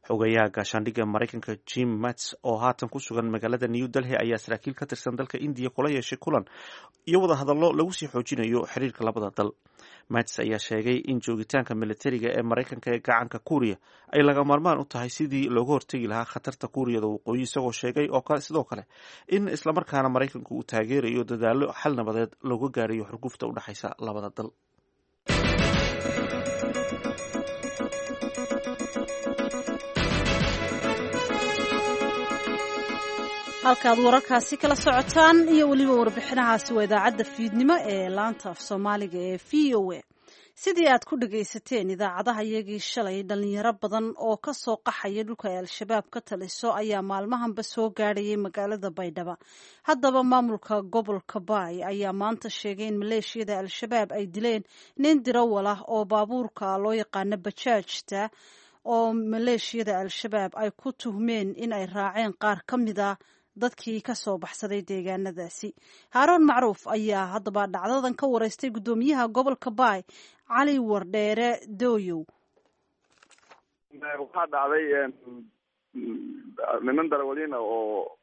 Xogayaha gaashaandhigga Maraykanka Jim Mattis oo haatan ku sugan magaalada New Delhi ayaa saraakiil ka tirsan dalka Indiya kula yeeshay kulan iyo wadahadallo lagu sii xoojinayo xiriirka labada dal. Mattis ayaa sheegay in joogitaanka militariga ee Maraykanka ee gacanka Kuuriya ay laga maarmaan u tahay sidii looga hortegi lahaa khatarta Kuuriyada Waqooyi, isagoo sheegay oo kale sidoo kale in islamarkaana Maraykanku uu taageerayo dadaallo xal nabadeed looga gaarayo xurgufta u dhexaysa labada dal. Halkaad wararkaasi kala socotaan iyo weliba warbixinahaasi waa idaacadda fiidnimo ee laanta af soomaaliga ee VOA. Sidii aad ku dhagaysateen idaacadaha iyagii shalay, dhalinyaro badan oo ka soo qaxaya dhulka ay Al-Shabaab ka taliso ayaa maalmahanba soo gaadhayay magaalada Baydhaba. Haddaba maamulka gobolka Baay ayaa maanta sheegay in maleeshiyada Al-Shabaab ay dileen nin dirawal ah oo baabuurka loo yaqaano bajaajta oo maleeshiyada Al-Shabaab ay ku tuhmeen in ay raaceen qaar ka mid a dadkii ka soo baxsaday deegaanadaasi. Haaroon Macruuf ayaa haddaba dhacdadan ka wareystay guddoomiyaha gobolka Baay, Cali Wardheere Dooyow. Waxaa dhacday niman darawaliina oo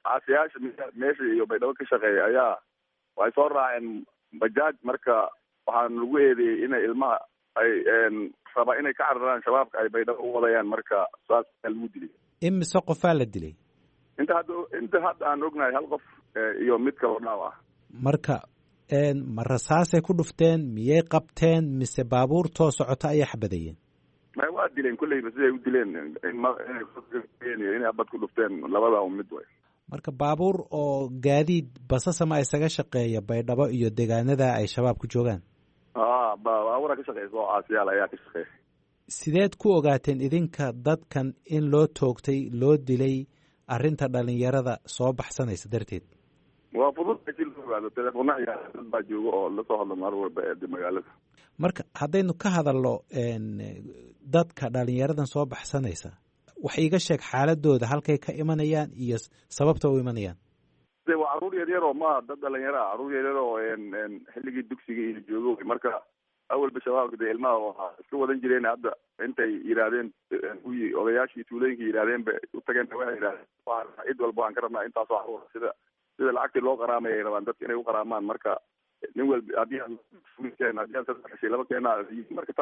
caasiyaasha meesha iyo Baydhabo ka shaqeeya ayaa waxay soo raaceen bajaaj. Marka waxaan lagu eedeeyey inay ilmaha ay rabaa inay ka cararaan Shabaabka ay Baydhabo u wadayaan. Marka saas ayaa lagu dilay. Imise qofaa la dilay? Inta hadda aan ognahay hal qof iyo mid kaloo dhaaw ah. Marka ma rasaasay ku dhufteen, miyay qabteen, mise baabuurtoo socota ayay xabadayeen? May, waa dileen kulleyba. Siday u dileen, inay abad ku dhufteen, labada un mid way. Marka baabuur oo gaadiid basasama isaga shaqeeya Baydhabo iyo deegaanada ay Shabaab ku joogaan? A, baabuura ka shaqeysa oo caasiyaal ayaa ka shaqeeya. Sideed ku ogaateen idinka dadkan in loo toogtay, loo dilay arrinta dhalinyarada soo baxsanaysa darteed? Waa fudud si loo ogaado. Telefoona ayaa dad baa jooga oo lasoo hadlo maalin walba ee magaalada. Marka haddaynu ka hadalno dadka dhalinyaradan soo baxsanaysa, wax iiga sheeg xaaladooda, halkay ka imanayaan iyo sababta u imanayaan. Waa Caruur yaryar oo ma dad dhalinyaro ah, caruur yaryar oo xilligii dugsiga iyo joogo. Marka awalba shabaabka dee ilmaha waa iska wadan jireen. Hadda intay yidhaahdeen kuwii odayaashii tuulooyinka yidhahdeen bay u tageen, waxay yidhahdeen cid walba waan ka rabnaa intaasoo caruur, sida lacagtii loo qaraamay ay rabaan dadka inay u qaraamaan. Marka nin walba haddii aad keen, haddii aad saddex heshay, laba keenaa. Marka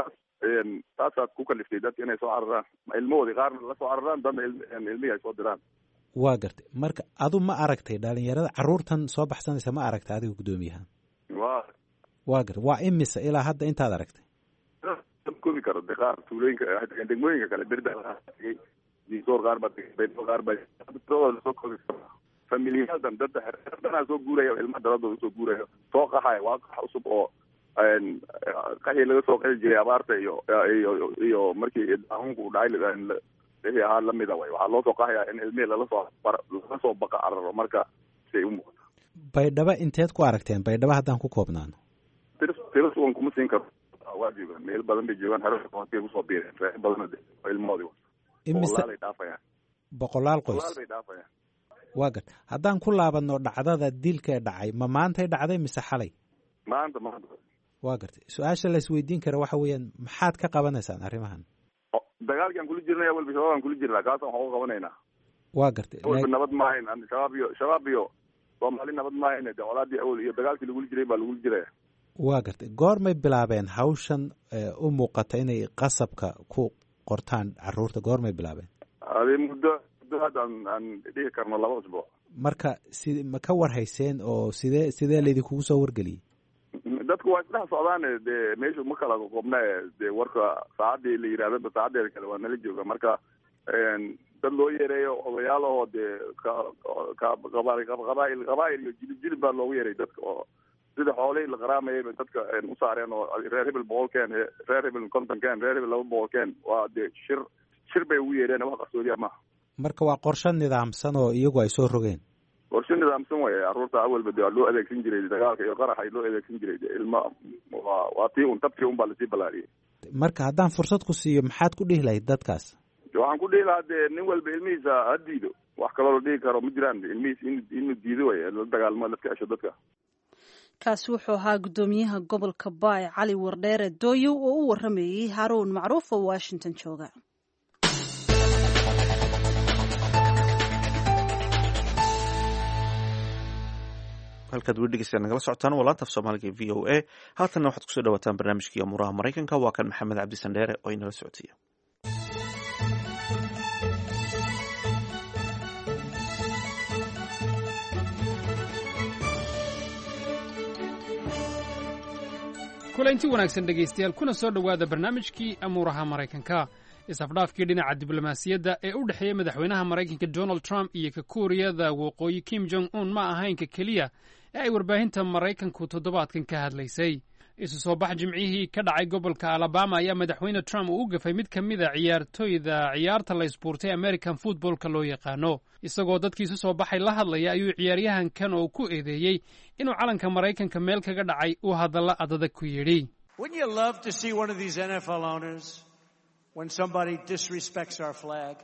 taasaad ku kaliftay dadka inay soo cararaan, ilmahoodii qaarna la soo cararaan, dadna ilmihii ay soo diraan. Waa gartay. Marka adu ma aragtay dhalinyarada, caruurtan soo baxsanaysa, ma aragtay adiga guddoomiyaha? Waa. Waa gartay. Waa imisa ilaa hadda intaad aragtay? Koobi karo de. Qaar tuulooyinka waxay tageen, degmooyinka kale, Berda tegay, Diisoor qaar baa tegay, Baydhabo qaar baa. Tiradooda lasoo koobi karo. Familiyaaldan dadda xerdanaa soo guuraya, ilmaha daradooda usoo guuraya, soo qaxaya. Waa qax cusub oo qaxii laga soo qaxi jiray abaarta iyo markii daacuunku uu dhacay wixii ahaa lamida way. Waxaa loo soo qaxayaa in ilmihii laga soo baqa cararo, marka siay u muuqato. Baydhabo inteed ku aragteen? Baydhabo haddaan ku koobnaano. Tiro sugan kuma siin karo. Waa joogaan, meel badan bay joogaan, xero bay kusoo biireen, reer badan ilmahoodii. Imise? Boqolaal ay dhaafayaan. Boqolaal qoys? Boqolaal bay dhaafayaan. Waa garta. Haddaan ku laabanno dhacdada dilka dhacay, ma maantay dhacday mise xalay? Maanta, maanta. Waa gartay. Su-aasha la isweydiin kara waxa weeyaan, maxaad ka qabanaysaan arrimahan? Dagaalki aan kula jirnay awalba shabaab aan kula jirnaa, kaasaan waxu qabanaynaa. Waa gartay. Awalba nabad maahayn shabaab iyo shabaab iyo Soomaali nabad maahayn. De colaadii awal iyo dagaalkii lagula jiray baa lagula jiraya. Waa gartay. Goormay bilaabeen hawshan u muuqata inay qasabka ku qortaan caruurta? Goormay bilaabeen? Adi muddo hadda aan dhihi karno 2 usbuuc. Marka si ma ka war hayseen oo sidee laydinkugu soo wargeliyey? Dadku waa isdhex socdaane, dee meeshu ma kala qobna. Dee warka saacaddii la yidhahdaba saacadeeda kale waa nala jooga. Marka dad loo yeereeyo, odayaal ahoo dee qabaa'il qabaa'il iyo jilib jilib baa loogu yeeray dadka, oo sida xoolihii la qaraamayay bay dadka u saareen, oo reer hebel 100 keen, reer hebel 50 keen, reer hebel 200 keen. Waa dee shir bay ugu yeereen, wax qarsoodiya maaha. Marka waa qorshe nidaamsan oo iyagu ay soo rogeen. Qorshe nidaamsan way. Carruurta awalba de waa loo adeegsan jiray dagaalka iyo qaraxa loo adeegsan jiray. De ilma waa tii un tabtii un baa lasii ballaariyey. Marka haddaan fursad ku siiyo, maxaad ku dhihi lahayd dadkaas? Waxaan ku dhihi lahaa dee nin walba ilmihiisa ha diido. Wax kaloo la dhihi karo ma jiraan. Ilmihiis inuu diido way, la dagaalmo, laska cesho dadka. Kaasi wuxuu ahaa guddoomiyaha gobolka Baay, Cali Wardheere Dooyow, oo u waramayey Haruun Macruuf oo Washington jooga. Halkaad weli dhegeystayaa nagala socotaan waa laanta af Soomaaliga v o a. Haatanna waxaad kusoo dhawaataan barnaamijkii amuuraha Maraykanka. Waa kan Maxamed Cabdi Sandheere oo inala socotaya. Kulanti wanaagsan dhegaystayaal, kuna soo dhowaada barnaamijkii amuuraha Maraykanka. Isafdhaafkii dhinaca diblomaasiyadda ee u dhexeeya madaxweynaha Maraykanka Donald Trump iyo ka Kuuriyada Waqooyi Kim Jong Un ma ahayn ka keliya ee ay warbaahinta Maraykanku toddobaadkan ka hadlaysay. Isu soo bax Jimcihii ka dhacay gobolka Alabama ayaa madaxweyne Trump uu u gafay mid ka mid a ciyaartoyda ciyaarta la isbuurtay, American footballka loo yaqaano. Isagoo dadkii isu soo baxay la hadlaya ayuu ciyaaryahankan oo ku eedeeyey inuu calanka Maraykanka meel kaga dhacay uu hadalla adadag ku yidhi. Wouldn't you love to see one of these NFL owners, when somebody disrespects our flag,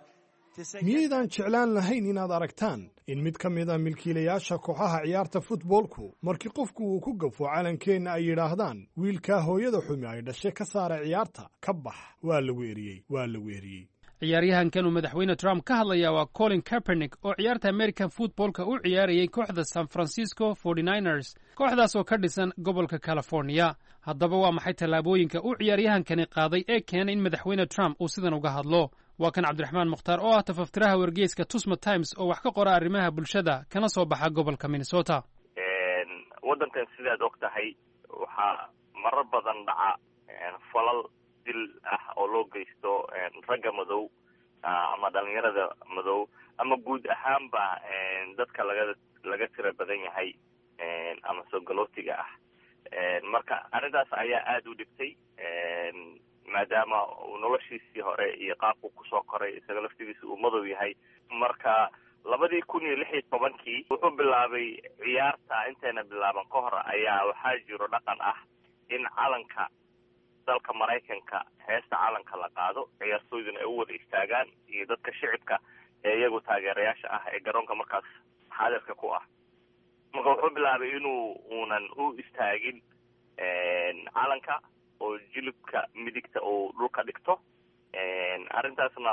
to say, Miyaydaan jeclaan lahayn inaad aragtaan in mid ka mid a milkiilayaasha kooxaha ciyaarta futboolku, markii qofku uu ku gafo calankeenna, ay yidhaahdaan, 'Wiilkaa hooyada xumi ay dhashay ka saara ciyaarta, ka bax'? Waa lagu eriyey, waa lagu eriyey. Ciyaaryahankan uu madaxweyne Trump ka hadlayaa waa Colin Kaepernick oo ciyaarta American footballka u ciyaarayay kooxda San Francisco 49ers, kooxdaas oo ka dhisan gobolka California. Haddaba waa maxay tallaabooyinka uu ciyaaryahankani qaaday ee keenay in madaxweyne Trump uu sidan uga hadlo? Waa kan Cabdiraxmaan Mukhtaar oo ah tafaftiraha wargeyska Tusma Times oo wax ka qora arrimaha bulshada kana soo baxa gobolka Minnesota. Waddankan sidaad og tahay waxaa marar badan dhaca falal dil ah oo loo geysto ragga madow ama dhalinyarada madow ama guud ahaanba dadka laga tira badan yahay ama soo galootiga ah. Marka arrintaas ayaa aada u dhibtay, maadaama uu noloshiisii hore iyo qaabku kusoo koray isaga laftigiisa uu madow yahay. Marka 2016-kii wuxuu bilaabay ciyaarta intayna bilaaban ka hor ayaa waxaa jiro dhaqan ah in calanka dalka Maraykanka, heesta calanka la qaado, ciyaartooyduna ay u wada istaagaan iyo dadka shicibka ee iyagu taageerayaasha ah ee garoonka markaas xaadirka ku ah. Marka wuxuu bilaabay inuu uunan u istaagin calanka oo jilibka midigta uu dhulka dhigto. Arrintaasna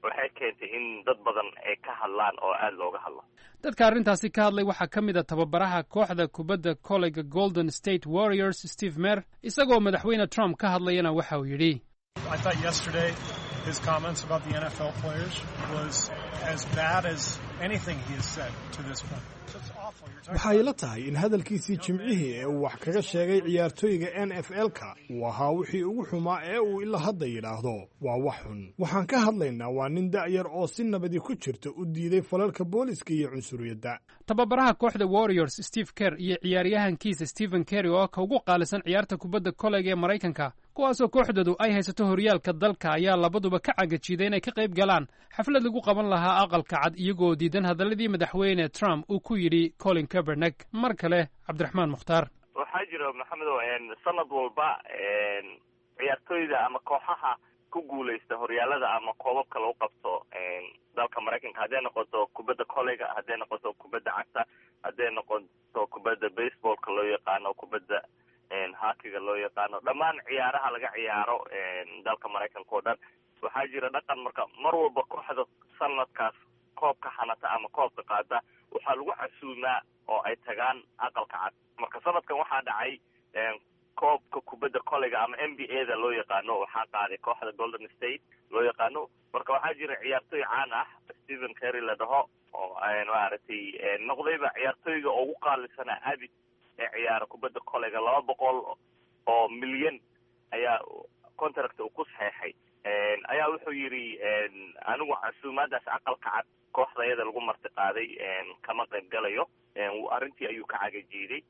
waxay keentay in dad badan ay ka hadlaan oo aada looga hadlo. Dadka arrintaasi ka hadlay waxaa ka mid a tababaraha kooxda kubadda koleyga Golden State Warriors, Steve Mer. Isagoo madaxweyne Trump ka hadlayana waxa uu yidhi: I thought yesterday his comments about the NFL players was as bad as anything he has said to this point. So it's awful. You're talking Waxay la tahay in hadalkiisii Jimcihii ee uu wax kaga sheegay ciyaartooyga NFL-ka uu ahaa wixii ugu xumaa ee uu ilaa hadda yidhaahdo. Waa wax xun. Waxaan ka hadlaynaa waa nin da'yar oo si nabadi ku jirta u diiday falalka booliska iyo cunsuriyadda. Tababaraha kooxda Warriors Steve Kerr iyo ciyaaryahankiisa Stephen Kerry, oo ka ugu qaalisan ciyaarta kubadda koleyga ee Maraykanka, kuwaasoo kooxdoodu ay haysato horyaalka dalka, ayaa labaduba ka cagajiiday inay ka qayb galaan xaflad lagu qaban lahaa Aqalka Cad, iyagoo diidan hadalladii madaxweyne Trump uu ku yidhi Colin Kaepernick. Mar kale Cabdiraxmaan Mukhtaar. Waxaa jira, Maxamedow, sanad walba ciyaartooyda ama kooxaha ku guuleysta horyaalada ama koobabka lagu qabto dalka Maraykanka, hadday noqoto kubadda koleyga, hadday noqoto kubadda cagta, hadday noqoto kubadda baseballka loo yaqaano, kubadda hockeyga loo yaqaano, dhammaan ciyaaraha laga ciyaaro dalka Maraykanka oo dhan, waxaa jira dhaqan. Marka mar walba kooxda sanadkaas koobka xanata ama koobka qaada waxaa lagu casuumaa oo ay tagaan Aqalka Cad. Marka sanadkan waxaa dhacay koobka kubadda koleyga ama NBA da loo yaqaano waxaa qaaday kooxda Golden State loo yaqaano. Marka waxaa jira ciyaartooy caan ah, Stephen Kerry la dhaho, oo maaragtay noqdayba ciyaartooyga ugu qaalisanaa abid ee ciyaara kubadda koleyga. 200 oo milyan ayaa contract uu ku saxeexay. Ayaa wuxuu yidhi: "Anigu casuumaadaas Aqalka Cad kooxda iyada lagu marti qaaday kama qayb galayo." Arrintii ayuu ka cagajiiday.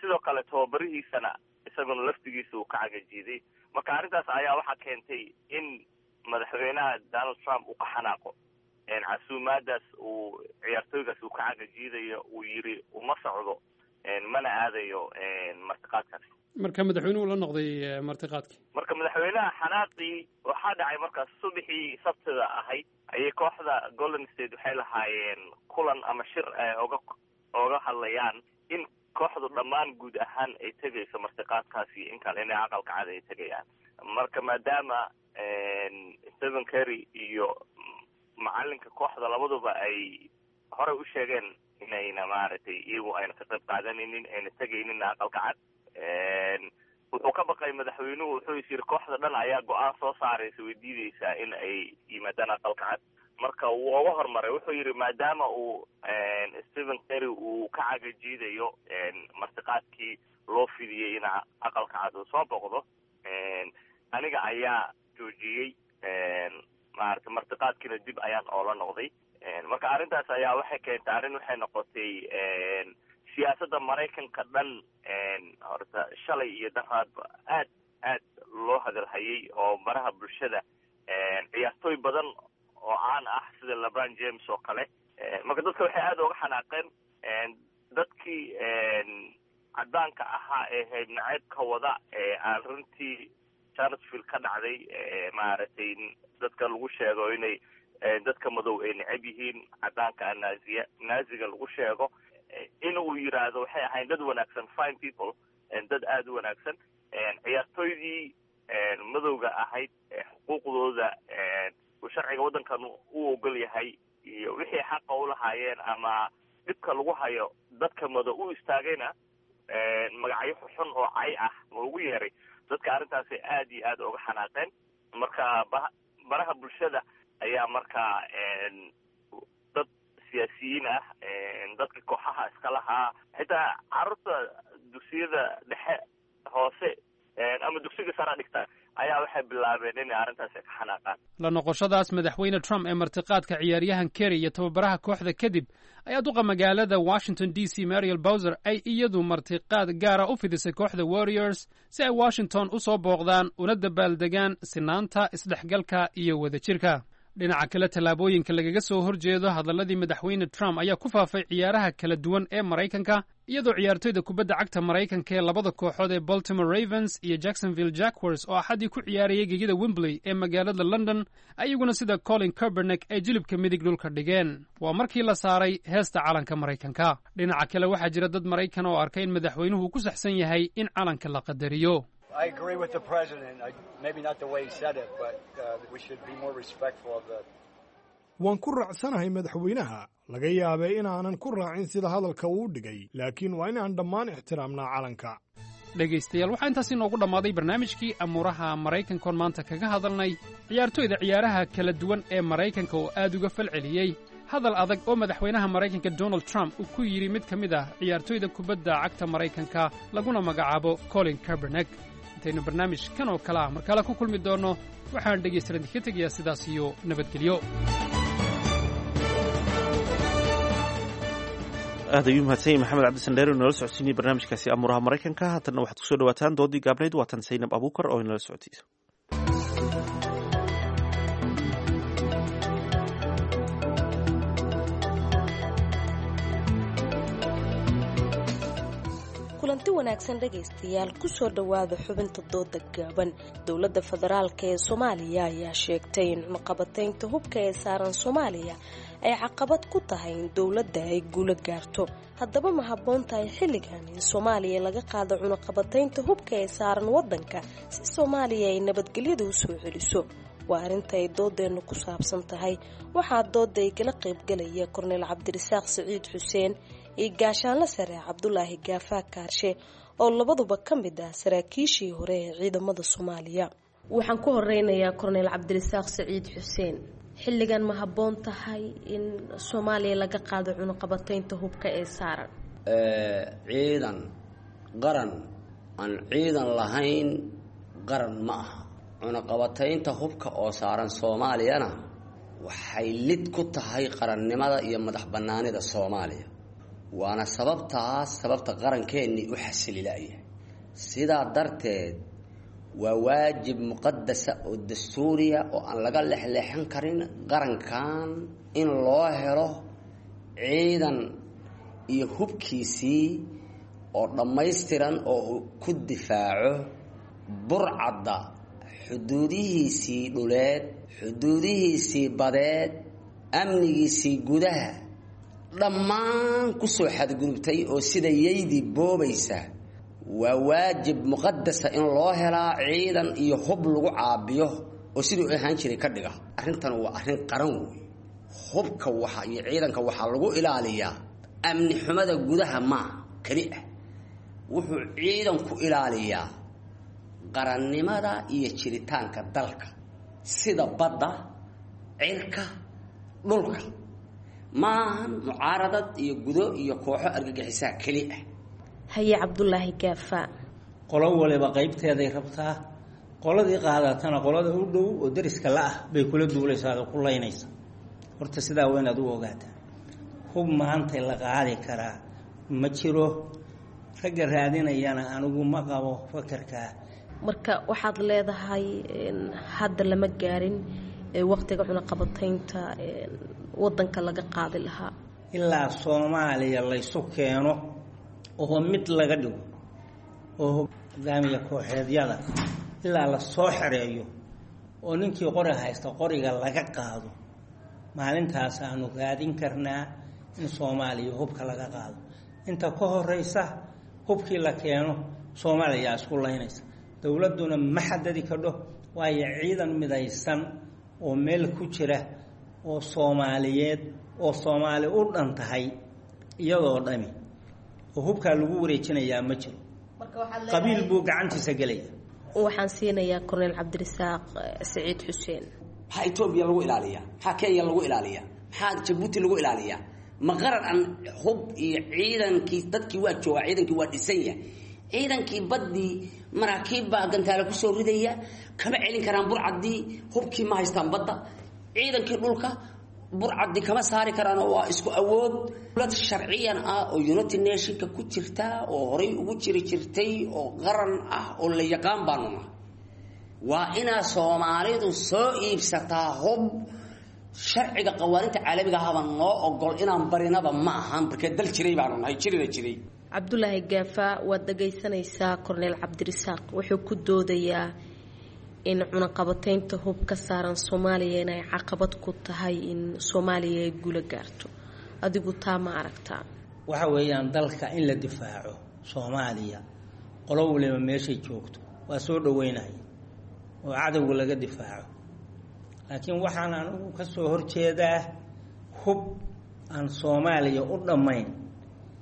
Sidoo kale tababarihiisana isaguna laftigiisa uu ka cagajiiday. Marka arrintaas ayaa waxaa keentay in madaxweynaha Donald Trump uu ka xanaaqo casuumaadaas uu ciyaartooygaas uu ka cagajiidayo, uu yidhi uma socdo mana aadayo martiqaadkaas. Marka madaxweynuhu la noqday martiqaadkii. Marka madaxweynaha xanaaqii waxaa dhacay markaas subaxii Sabtida ahayd ayay kooxda Golden State waxay lahaayeen kulan ama shir ay oga hadlayaan in kooxdu dhammaan guud ahaan ay tegayso martiqaadkaasi, in kale inay Aqalka Cad ay tegayaan. Marka maadaama Stephen Kerry iyo macalinka kooxda labaduba ay horey u sheegeen inayna maaragtay iyagu ayna ka qayb qaadanaynin, ayna tegaynin Aqalka Cad, wuxuu ka baqay madaxweynuhu, wuxuu is yiri kooxda dhan ayaa go-aan soo saaraysa, way diideysaa in ay yimaadaan Aqalka Cad. Marka wuu oga hormaray, wuxuu yidhi maadaama uu Stephen Kerry uu ka cagajiidayo martiqaadkii loo fidiyey in Aqalka Cad uu soo boqdo, aniga ayaa joojiyey maarata martiqaadkiina, dib ayaan oola noqday. Marka arrintaas ayaa waxay keentay arrin waxay noqotay siyaasadda Maraykanka dhan horta shalay iyo daraadba aad aad loo hadalhayay oo baraha bulshada ciyaartooy badan oo caan ah sida LeBron James oo kale. Marka dadka waxay aada uga xanaaqeen dadkii caddaanka ahaa ee hayb naceybka wada ee arrintii Charlottesville ka dhacday, maaragtay dadka lagu sheego inay dadka madow ay necab yihiin, caddaanka naaziya naaziga lagu sheego, in uu yiraahdo waxay ahayn dad wanaagsan, fine people, dad aada u wanaagsan. Ciyaartooydii madowga ahayd xuquuqdooda uu sharciga waddankan u ogol yahay iyo wixii xaqa u lahaayeen ama dhibka lagu hayo dadka madow u istaagayna magacyo xun oo cay ah loogu yeeray. Dadka arrintaasi aada iyo aada uga xanaaqeen. Marka baraha bulshada ayaa markaa dad siyaasiyiin ah, dadka kooxaha iska lahaa, xitaa carruurta dugsiyada dhexe, hoose ama dugsiga sara dhigta ayaa waxay bilaabeen inay arrintaasi ka xanaaqaan. La noqoshadaas madaxweyne Trump ee martiqaadka ciyaaryahan Kerry iyo tababaraha kooxda kadib ayaa duqa magaalada Washington DC, Mariel Bowser, ay iyadu martiqaad gaara u fidisay kooxda Warriors si ay Washington u soo booqdaan una dabaaldegaan sinaanta, isdhexgalka iyo wadajirka. Dhinaca kale, tallaabooyinka lagaga soo horjeedo hadalladii madaxweyne Trump ayaa ku faafay ciyaaraha kala duwan ee Maraykanka, iyadoo ciyaartoyda kubadda cagta Maraykanka ee labada kooxood ee Baltimore Ravens iyo Jacksonville Jaguars oo axaddii ku ciyaarayay gegida Wembley ee magaalada London, ayaguna sida Colin Kaepernick ay jilibka midig dhulka dhigeen. Waa markii la saaray heesta calanka Maraykanka. Dhinaca kale, waxaa jira dad Maraykan oo arkay in madaxweynuhu ku saxsan yahay in calanka la qadariyo. I agree with the president. Maybe not the way he said it, but we should be more respectful of the. Waan ku raacsanahay madaxweynaha. Laga yaabay inaanan ku raacin sida hadalka uu dhigay, laakiin waa inaan dhammaan ixtiraamnaa calanka. Dhegaystayaal, waxaa intaas inoogu dhammaaday barnaamijkii amuuraha Maraykankoon maanta kaga hadalnay ciyaartoyda ciyaaraha kala duwan ee Maraykanka oo aad uga falceliyey hadal adag oo madaxweynaha Maraykanka Donald Trump uu ku yidhi mid ka mid ah ciyaartoyda kubadda cagta Maraykanka laguna magacaabo Colin Kaepernick. Intaynu barnaamij kan oo kale ah mar kale ku kulmi doonno, waxaan dhegaystayaal idinka tegayaa sidaas iyo nabadgelyo. Aad ayuu mahadsan yahay Maxamed Cabdisandheer oo inala socodsiinayay barnaamijkaasi amuuraha Maraykanka. Haatanna waxaad kusoo dhawaataan doodii gaabnayd. Waatan Saynab Abuukar oo inala socodsiisa. Kulanti wanaagsan dhegaystayaal, kusoo dhowaada xubinta dooda gaaban. Dowladda federaalka ee Soomaaliya ayaa sheegtay in cunaqabataynta hubka ee saaran Soomaaliya ay caqabad ku tahay in dowladda ay guulo gaarto. Haddaba, ma habboon tahay xilligan in Soomaaliya laga qaado cunaqabataynta hubka ee saaran waddanka si Soomaaliya ay nabadgelyada u soo celiso? Waa arrinta ay doodeennu ku saabsan tahay. Waxaa dooda ay kala qaybgalaya Korneyl Cabdirasaaq Siciid Xuseen iyo Gaashaanle Sare Cabdulaahi Gaafaa Kaarshe, oo labaduba ka mid ah saraakiishii hore ee ciidamada Soomaaliya. Waxaan ku horeynayaa Korneyl Cabdirasaaq Siciid Xuseen. Xilligan ma habboon tahay in Soomaaliya laga qaado cunaqabataynta hubka ee saaran? Ciidan qaran aan ciidan lahayn qaran ma aha. Cunaqabataynta hubka oo saaran Soomaaliyana waxay lid ku tahay qarannimada iyo madax bannaanida Soomaaliya, waana sababtaas sababta qarankeenii u xasililaya. Sidaa darteed waa waajib muqadasa oo dastuuriya oo aan laga lexleexan karin qarankan in loo helo ciidan iyo hubkiisii oo dhammaystiran oo uu ku difaaco burcadda xuduudihiisii dhuleed, xuduudihiisii badeed, amnigiisii gudaha dhammaan kusoo xadgudubtay oo sida yaydii boobaysa. Waa waajib muqadasa in loo helaa ciidan iyo hub lagu caabiyo oo siduu ahaan jiray ka dhiga. Arrintan waa arrin qaran wey. Hubka waxa iyo ciidanka waxaa lagu ilaaliyaa amni xumada gudaha maa keli ah, wuxuu ciidanku ilaaliyaa qarannimada iyo jiritaanka dalka, sida badda, cirka, dhulka. Maahan mucaaradad iyo gudo iyo kooxo argagixisaa keli ah. Haye, Cabdulaahi Gaafa. Qolo waliba qaybteeday rabtaa. Qoladii qaadatana qolada u dhow oo dariska la-ah bay kula duulaysaa oo ku laynaysa. Horta sidaa waa inaad u ogaataa, hub maanta la qaadi karaa ma jiro. Ragga raadinayana anigu ma qabo fakarkaa. Marka waxaad leedahay hadda lama gaarin waqtiga cunaqabataynta wadanka laga qaadi lahaa? Ilaa Soomaaliya laysu keeno oo mid laga dhigo oo hogaamiya kooxeedyada ilaa la soo xereeyo oo ninkii qori haysta qoriga laga qaado, maalintaas aanu raadin karnaa in Soomaaliya hubka laga qaado. Inta ka horeysa hubkii la keeno Soomaaliya isku laynaysa, dowladduna ma xadadi kadho, waayo ciidan midaysan oo meel ku jira oo Soomaaliyeed oo Soomaali u dhan tahay iyadoo dhami oo hubkaa lagu wareejinayaa ma jiro. Qabiil buu gacantiisa gelaya. Waxaan siinayaa Korneyl Cabdirasaaq Siciid Xuseen. Maxaa Etoobiya lagu ilaaliyaa? Maxaa Kenya lagu ilaaliyaa? Maxaa Jabuuti lagu ilaaliyaa? Ma qaran aan hub iyo ciidankii dadkii waa joogaa, ciidankii waa dhisan yahay, ciidankii baddii maraakiib baa gantaale kusoo ridaya, kama celin karaan burcaddii, hubkii ma haystaan badda. Ciidankii dhulka burcaddi kama saari karaan oo waa isku awood. Dowlad sharciyan ah oo United Nationka ku jirta oo horay ugu jiri jirtay oo qaran ah oo la yaqaan baanu nahay. Waa inaa Soomaalidu soo iibsataa hub Sharciga qawaaninta caalamiga ahaba noo ogol inaan barinaba ma ahan, markee dal jiray baanu nahay, jirina jiray. Cabdulaahi Gaafa, waad dhagaysanaysaa Korneyl Cabdirasaaq wuxuu ku doodayaa in cunaqabataynta hub ka saaran Soomaaliya inay caqabad ku tahay in Soomaaliya ay guula gaarto. Adigu taa ma aragtaa? Waxa weeyaan dalka in la difaaco Soomaaliya, qolo waliba meeshay joogto waa soo dhaweynaya oo cadowga laga difaaco. Laakiin waxaan anigu ka soo horjeedaa hub aan Soomaaliya u dhammayn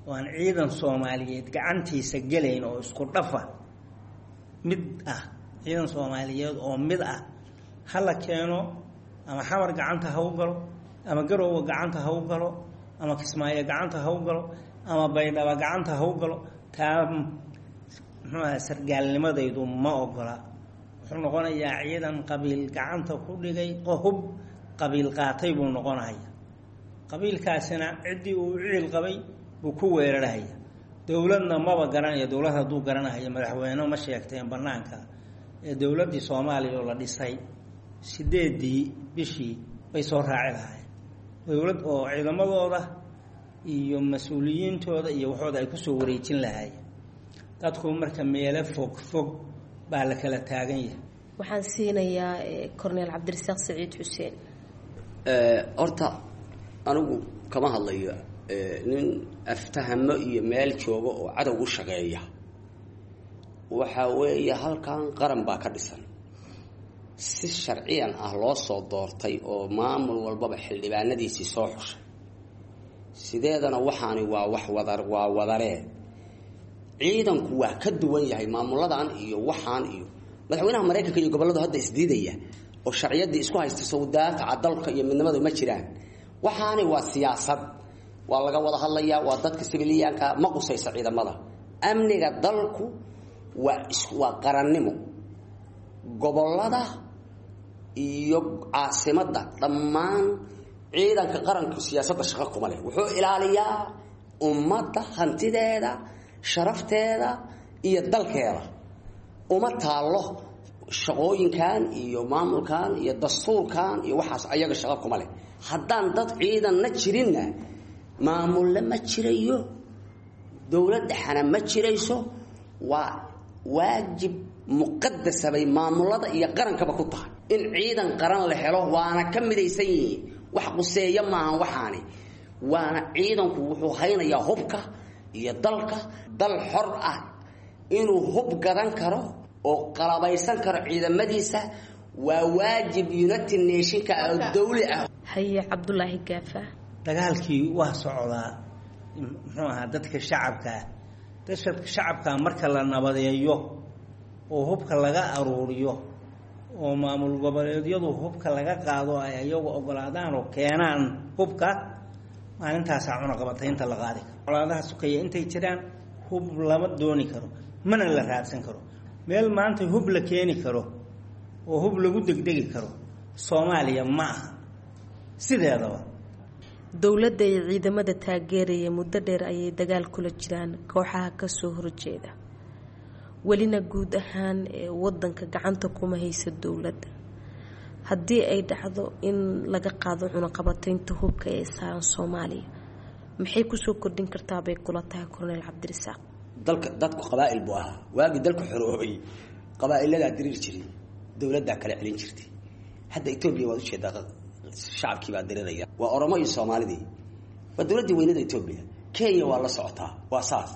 oo aan ciidan Soomaaliyeed gacantiisa gelayn oo isku dhafa mid ah, ciidan Soomaaliyeed oo mid ah hala keeno, ama Xamar gacanta ha u galo, ama Garoowe gacanta ha u galo, ama Kismaayo gacanta ha u galo, ama Baydhaba gacanta ha u galo. Taa muxuu aha, sargaalnimadaydu ma ogola. Wuxuu noqonayaa ciidan qabiil gacanta ku dhigay, hub qabiil qaatay buu noqonaya. Qabiilkaasina ciddii uu ciil qabay buu ku weerarhaya. Dowladna maba garanaya. Dowlad hadduu garanahaya madaxweyne ma sheegteen banaanka ee dowladdii Soomaaliya oo la dhisay 8dii bishii bay soo raaci lahaayeen dowlad oo ciidamadooda iyo mas-uuliyiintooda iyo waxooda ay kusoo wareejin lahaayeen dadku. Marka meelo fog fog baa la kala taagan yahay. Waxaan siinayaa Korneyl Cabdirasaaq Saciid Xuseen. Horta anigu kama hadlayo nin aftahamo iyo meel jooga oo cadow u shaqeeya. Waxa weeye halkan qaran baa ka dhisan, si sharciyan ah loo soo doortay oo maamul walbaba xildhibaanadiisii soo xushay. Sideedana waxaani waa wax wadar, waa wadaree. Ciidanku waa ka duwan yahay maamuladan iyo waxaan iyo madaxweynaha Maraykanka iyo gobolladu hadda isdiidaya oo sharciyaddii isku haysta. Sawdaafaca dalka iyo midnimadu ma jiraan. Waxaani waa siyaasad, waa laga wada hadlayaa, waa dadka sibiliyaanka ma qusaysa. Ciidamada amniga dalku waa qarannimo. Gobollada iyo caasimadda dhammaan ciidanka qaranku siyaasadda shaqo kuma leh. Wuxuu ilaaliyaa ummadda hantideeda, sharafteeda iyo dalkeeda. Uma taallo shaqooyinkan iyo maamulkan iyo dastuurkan iyo waxaas, ayaga shaqo kuma leh. Haddaan dad ciidanna jirinna, maamulle ma jirayo, dowlad dhexana ma jirayso. Waa waajib muqadasa bay maamulada iyo qarankaba ku tahay in ciidan qaran la helo, waana ka midaysan yihiin. Wax quseeya maahan waxaani, waana ciidanku wuxuu haynayaa hubka iyo dalka. Dal xor ah inuu hub gadan karo oo qalabaysan karo ciidamadiisa waa waajib United Nationka oo dawli ah. Haye, Cabdulaahi Gaafa. Dagaalkii waa socdaa. Muxuu ahaa, dadka shacabkaa, dadka shacabkaa marka la nabadeeyo oo hubka laga aruuriyo oo maamul goboleedyadu hubka laga qaado, ay ayagu ogolaadaan oo keenaan hubka, maalintaasaa cunaqabataynta la qaadi karo. Colaadaha sukeeya intay jiraan hub lama dooni karo, mana la raadsan karo. Meel maanta hub la keeni karo oo hub lagu degdegi karo Soomaaliya ma aha sideedaba. Dowladda iyo ciidamada taageeraya muddo dheer ayay dagaal kula jiraan kooxaha kasoo horjeeda, welina guud ahaan wadanka gacanta kuma hayso dowladda. Haddii ay dhacdo in laga qaado cunaqabataynta hubka ee saaran Soomaaliya, maxay kusoo kordhin kartaa bay kula tahay, Korneyl Cabdirasaaq? Dalka dadku qabaa'il buu ahaa. Waagii dalku xoroobay qabaa'iladaa diriir jiray, dowladdaa kala celin jirtay. Hadda Etoobiya waad ujeedaa, shacabkii baa diriraya, waa Oromo iyo Soomaalidii, waa dowladdii weynada Etoobiya. Kenya waa la socotaa, waa saas.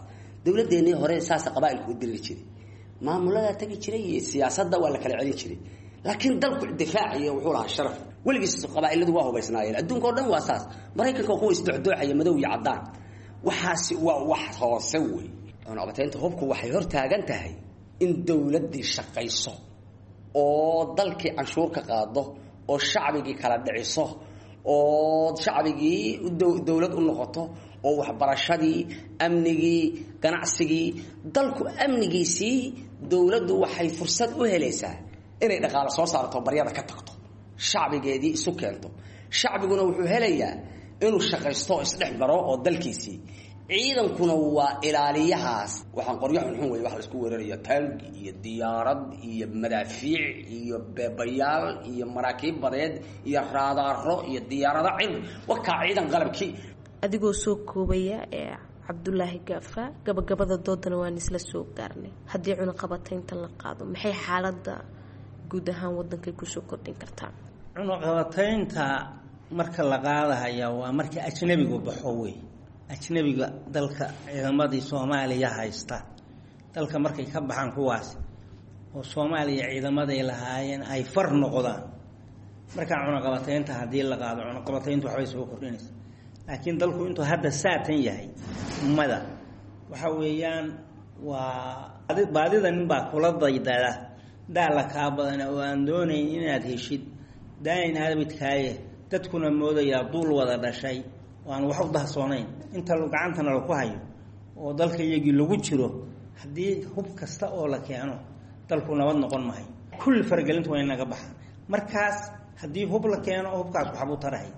Dowladdeenii hore saasa qabaa'ilku u diriri jiray, maamuladaa tegi jiray iyo siyaasadda waa la kala celin jiray, laakiin dalku difaac iyo wuxuu lahaa sharaf. Weligiis qabaa'iladu waa hubaysnaayeen, adduunka oo dhan waa saas. Maraykanka waa kuwa isdocdoocaya, madow iyo caddaan. Waxaasi waa wax hoose wey. Cunaqabataynta hubku waxay hor taagan tahay in dowladdii shaqayso oo dalkii canshuur ka qaado oo shacbigii kala dhiciso oo shacbigii dowlad u noqoto oo waxbarashadii, amnigii, ganacsigii, dalku amnigiisii. Dowladdu waxay fursad u helaysaa inay dhaqaalo soo saarto, baryada ka tagto, shacbigeedii isu keento. Shacbiguna wuxuu helayaa inuu shaqaysto oo isdhex maro oo dalkiisii. Ciidankuna waa ilaaliyahaas. Waxaan qoryo xunxun wey wax laisku weeraraya, taangi iyo diyaarad iyo madaafiic iyo beebayaal iyo maraakiib badeed iyo raadaaro iyo diyaarado cir, wakaa ciidan qalabkii. Adigoo soo koobaya ee Cabdulaahi Gaafa, gabagabada doodana waan isla soo gaarnay. Haddii cunaqabataynta la qaado, maxay xaaladda guud ahaan wadankay kusoo kordhin kartaa? Cunaqabataynta marka la qaadahaya waa marka ajnabigu baxo wey. Ajnabiga dalka ciidamadii Soomaaliya haysta dalka markay ka baxaan kuwaas, oo Soomaaliya ciidamaday lahaayeen ay far noqdaan, markaa cunaqabataynta haddii la qaado, cunaqabatayntu waxbay soo kordhinaysa. Laakiin dalku intuu hadda saatan yahay mada waxa weeyaan waa baadida ninbaa kula daydada daala kaa badana oo aan doonayn inaad heshid daain abidkaaye, dadkuna moodayaa duul wada dhashay oo aan wax u dahsoonayn. Inta gacantana laku hayo oo dalka iyagii lagu jiro, haddii hub kasta oo la keeno dalku nabad noqon mahayo. Kulli faragelintu waa inaga baxaan. Markaas haddii hub la keeno, hubkaas waxbuu tarahay.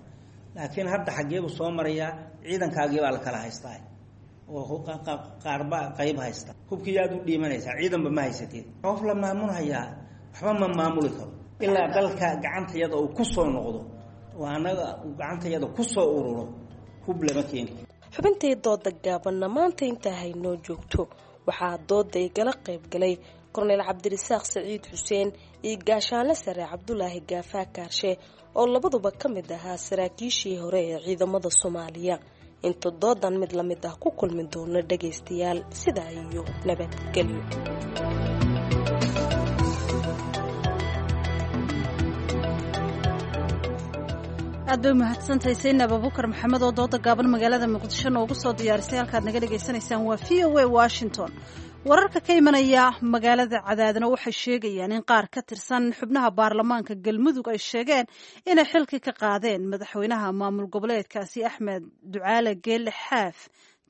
Laakiin hadda xaggeebuu soo marayaa? Ciidankaagii baa la kala haystaa oo qaarba qayb haysta. Hubkii aad u dhiimanaysaa, ciidanba ma haysateed. Qof la maamulhayaa waxba ma maamuli karo ilaa dalka gacantayada uu ku soo noqdo oo annaga uu gacantayada ku soo ururo. Hub lama keeni. Xubintii dooda gaabanna maanta intaa haynoo joogto. Waxaa dooda igala qayb galay Korneyl Cabdirasaaq Saciid Xuseen iyo Gaashaanle Sare Cabdulaahi Gaafaa Kaarshe, oo labaduba ka mid ahaa saraakiishii hore ee ciidamada Soomaaliya. Inta doodan mid lamid ah ku kulmi doono dhagaystayaal, sidaa iyo nabadgelyo. Aad bay umahadsantahay Saynab Abuukar Maxamed oo dooda gaaban magaalada Muqdisho noogu soo diyaarisay. Halkaad naga dhagaysanaysaan waa VOA Washington. Wararka ka imanaya magaalada Cadaadna waxay sheegayaan in qaar ka tirsan xubnaha baarlamaanka Galmudug ay sheegeen inay xilkii ka qaadeen madaxweynaha maamul goboleedkaasi Axmed Ducaale Geelle Xaaf.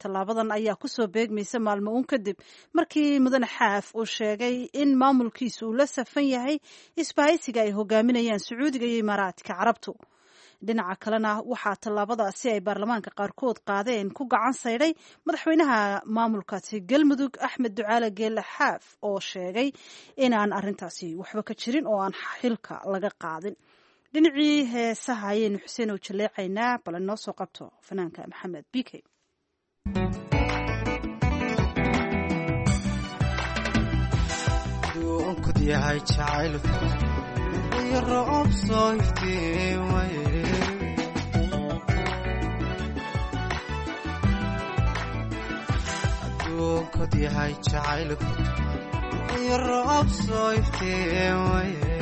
Tallaabadan ayaa kusoo beegmaysa maalmo uun kadib markii mudane Xaaf uu sheegay in maamulkiisu uu la safan yahay isbahaysiga ay hogaaminayaan Sacuudiga iyo Imaaraadka Carabtu. Dhinaca kalena waxaa tallaabadaasi ay baarlamaanka qaarkood qaadeen ku gacan saydhay madaxweynaha maamulkaasi Galmudug Axmed Ducaale Geelle Xaaf, oo sheegay inaan arintaasi waxba ka jirin oo aan xilka laga qaadin. Dhinacii heesaha ayaynu Xuseen oo jaleecaynaa, bale noo soo qabto fanaanka Maxamed B K. Aduunkod yahay jacaylku iyo roob soo iftiimaye,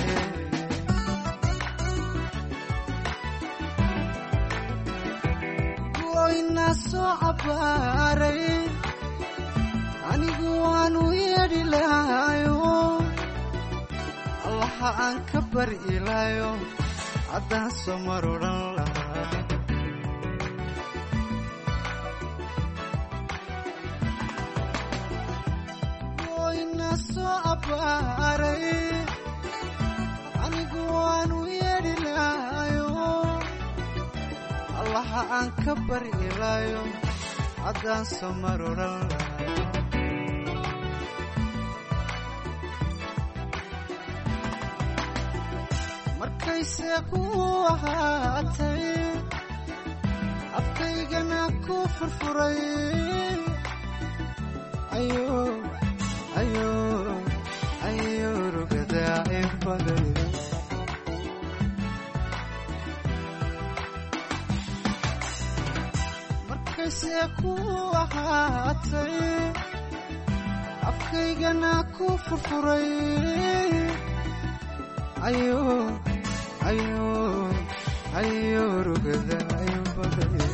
goyna soo cabbaaray anigu waanu yeedhi lahayo, Allaha aan ka bari ilaayo haddaan soo mar odhan lahaa. Goyna soo abbaaray anigu waanu yeedhi lahayo, Allaha aan ka bari ilaayo haddaan soo mar odhan lahaa. Markayse kuu ahaatay afkaygana ku furfuray, ayo rugadaa ibaday. Markayse kuu ahaatay afkaygana ku furfuray, ayo ayo ayo rugada ibaday.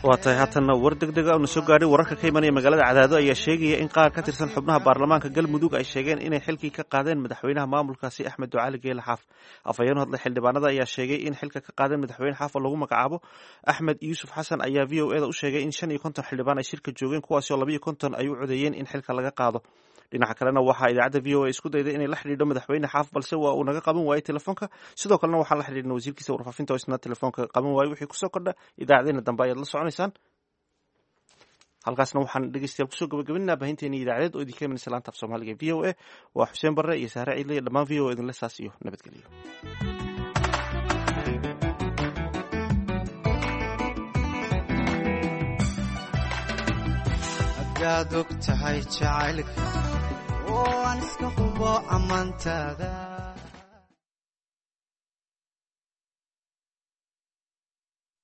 Waa tahay, haatanna war deg dega una soo gaadhay. Wararka ka imanaya magaalada Cadaado ayaa sheegaya in qaar ka tirsan xubnaha baarlamaanka Galmudug ay sheegeen inay xilkii ka qaadeen madaxweynaha maamulkaasi Axmed Ducaali Geele Xaaf. Afhayeen hadlay xildhibaanada ayaa sheegay in xilka ka qaadeen madaxweyne Xaaf oo lagu magacaabo Axmed Yuusuf Xasan ayaa VOA da u sheegay in 55 xildhibaan ay shirka joogeen, kuwaasi oo 52 ay u codeeyeen in xilka laga qaado. Dhinaca kalena waxaa idaacadda V O A isku dayday inay la xidhiidho madaxweyne Xaaf, balse waa uu naga qaban waayey telefoonka. Sidoo kalena waxaan la xidhiidhnay wasiirkiisa warfaafinta oo isna telefoonka qaban waayey. Wixii kusoo kordha idaacadeena dambe ayaad la soconaysaan. Halkaasna waxaan dhegeystayaal kusoo gabagabinaa baahinteeni idaacadeed oo idinka imanaysa laanta af Soomaaliga V O A. Waa Xuseen Barre iyo Sahre Ciidle iyo dhammaan V O A idinle saas iyo nabadgelyo. Haddaad og tahay jacaylka oo aan iska hubo ammaantaada.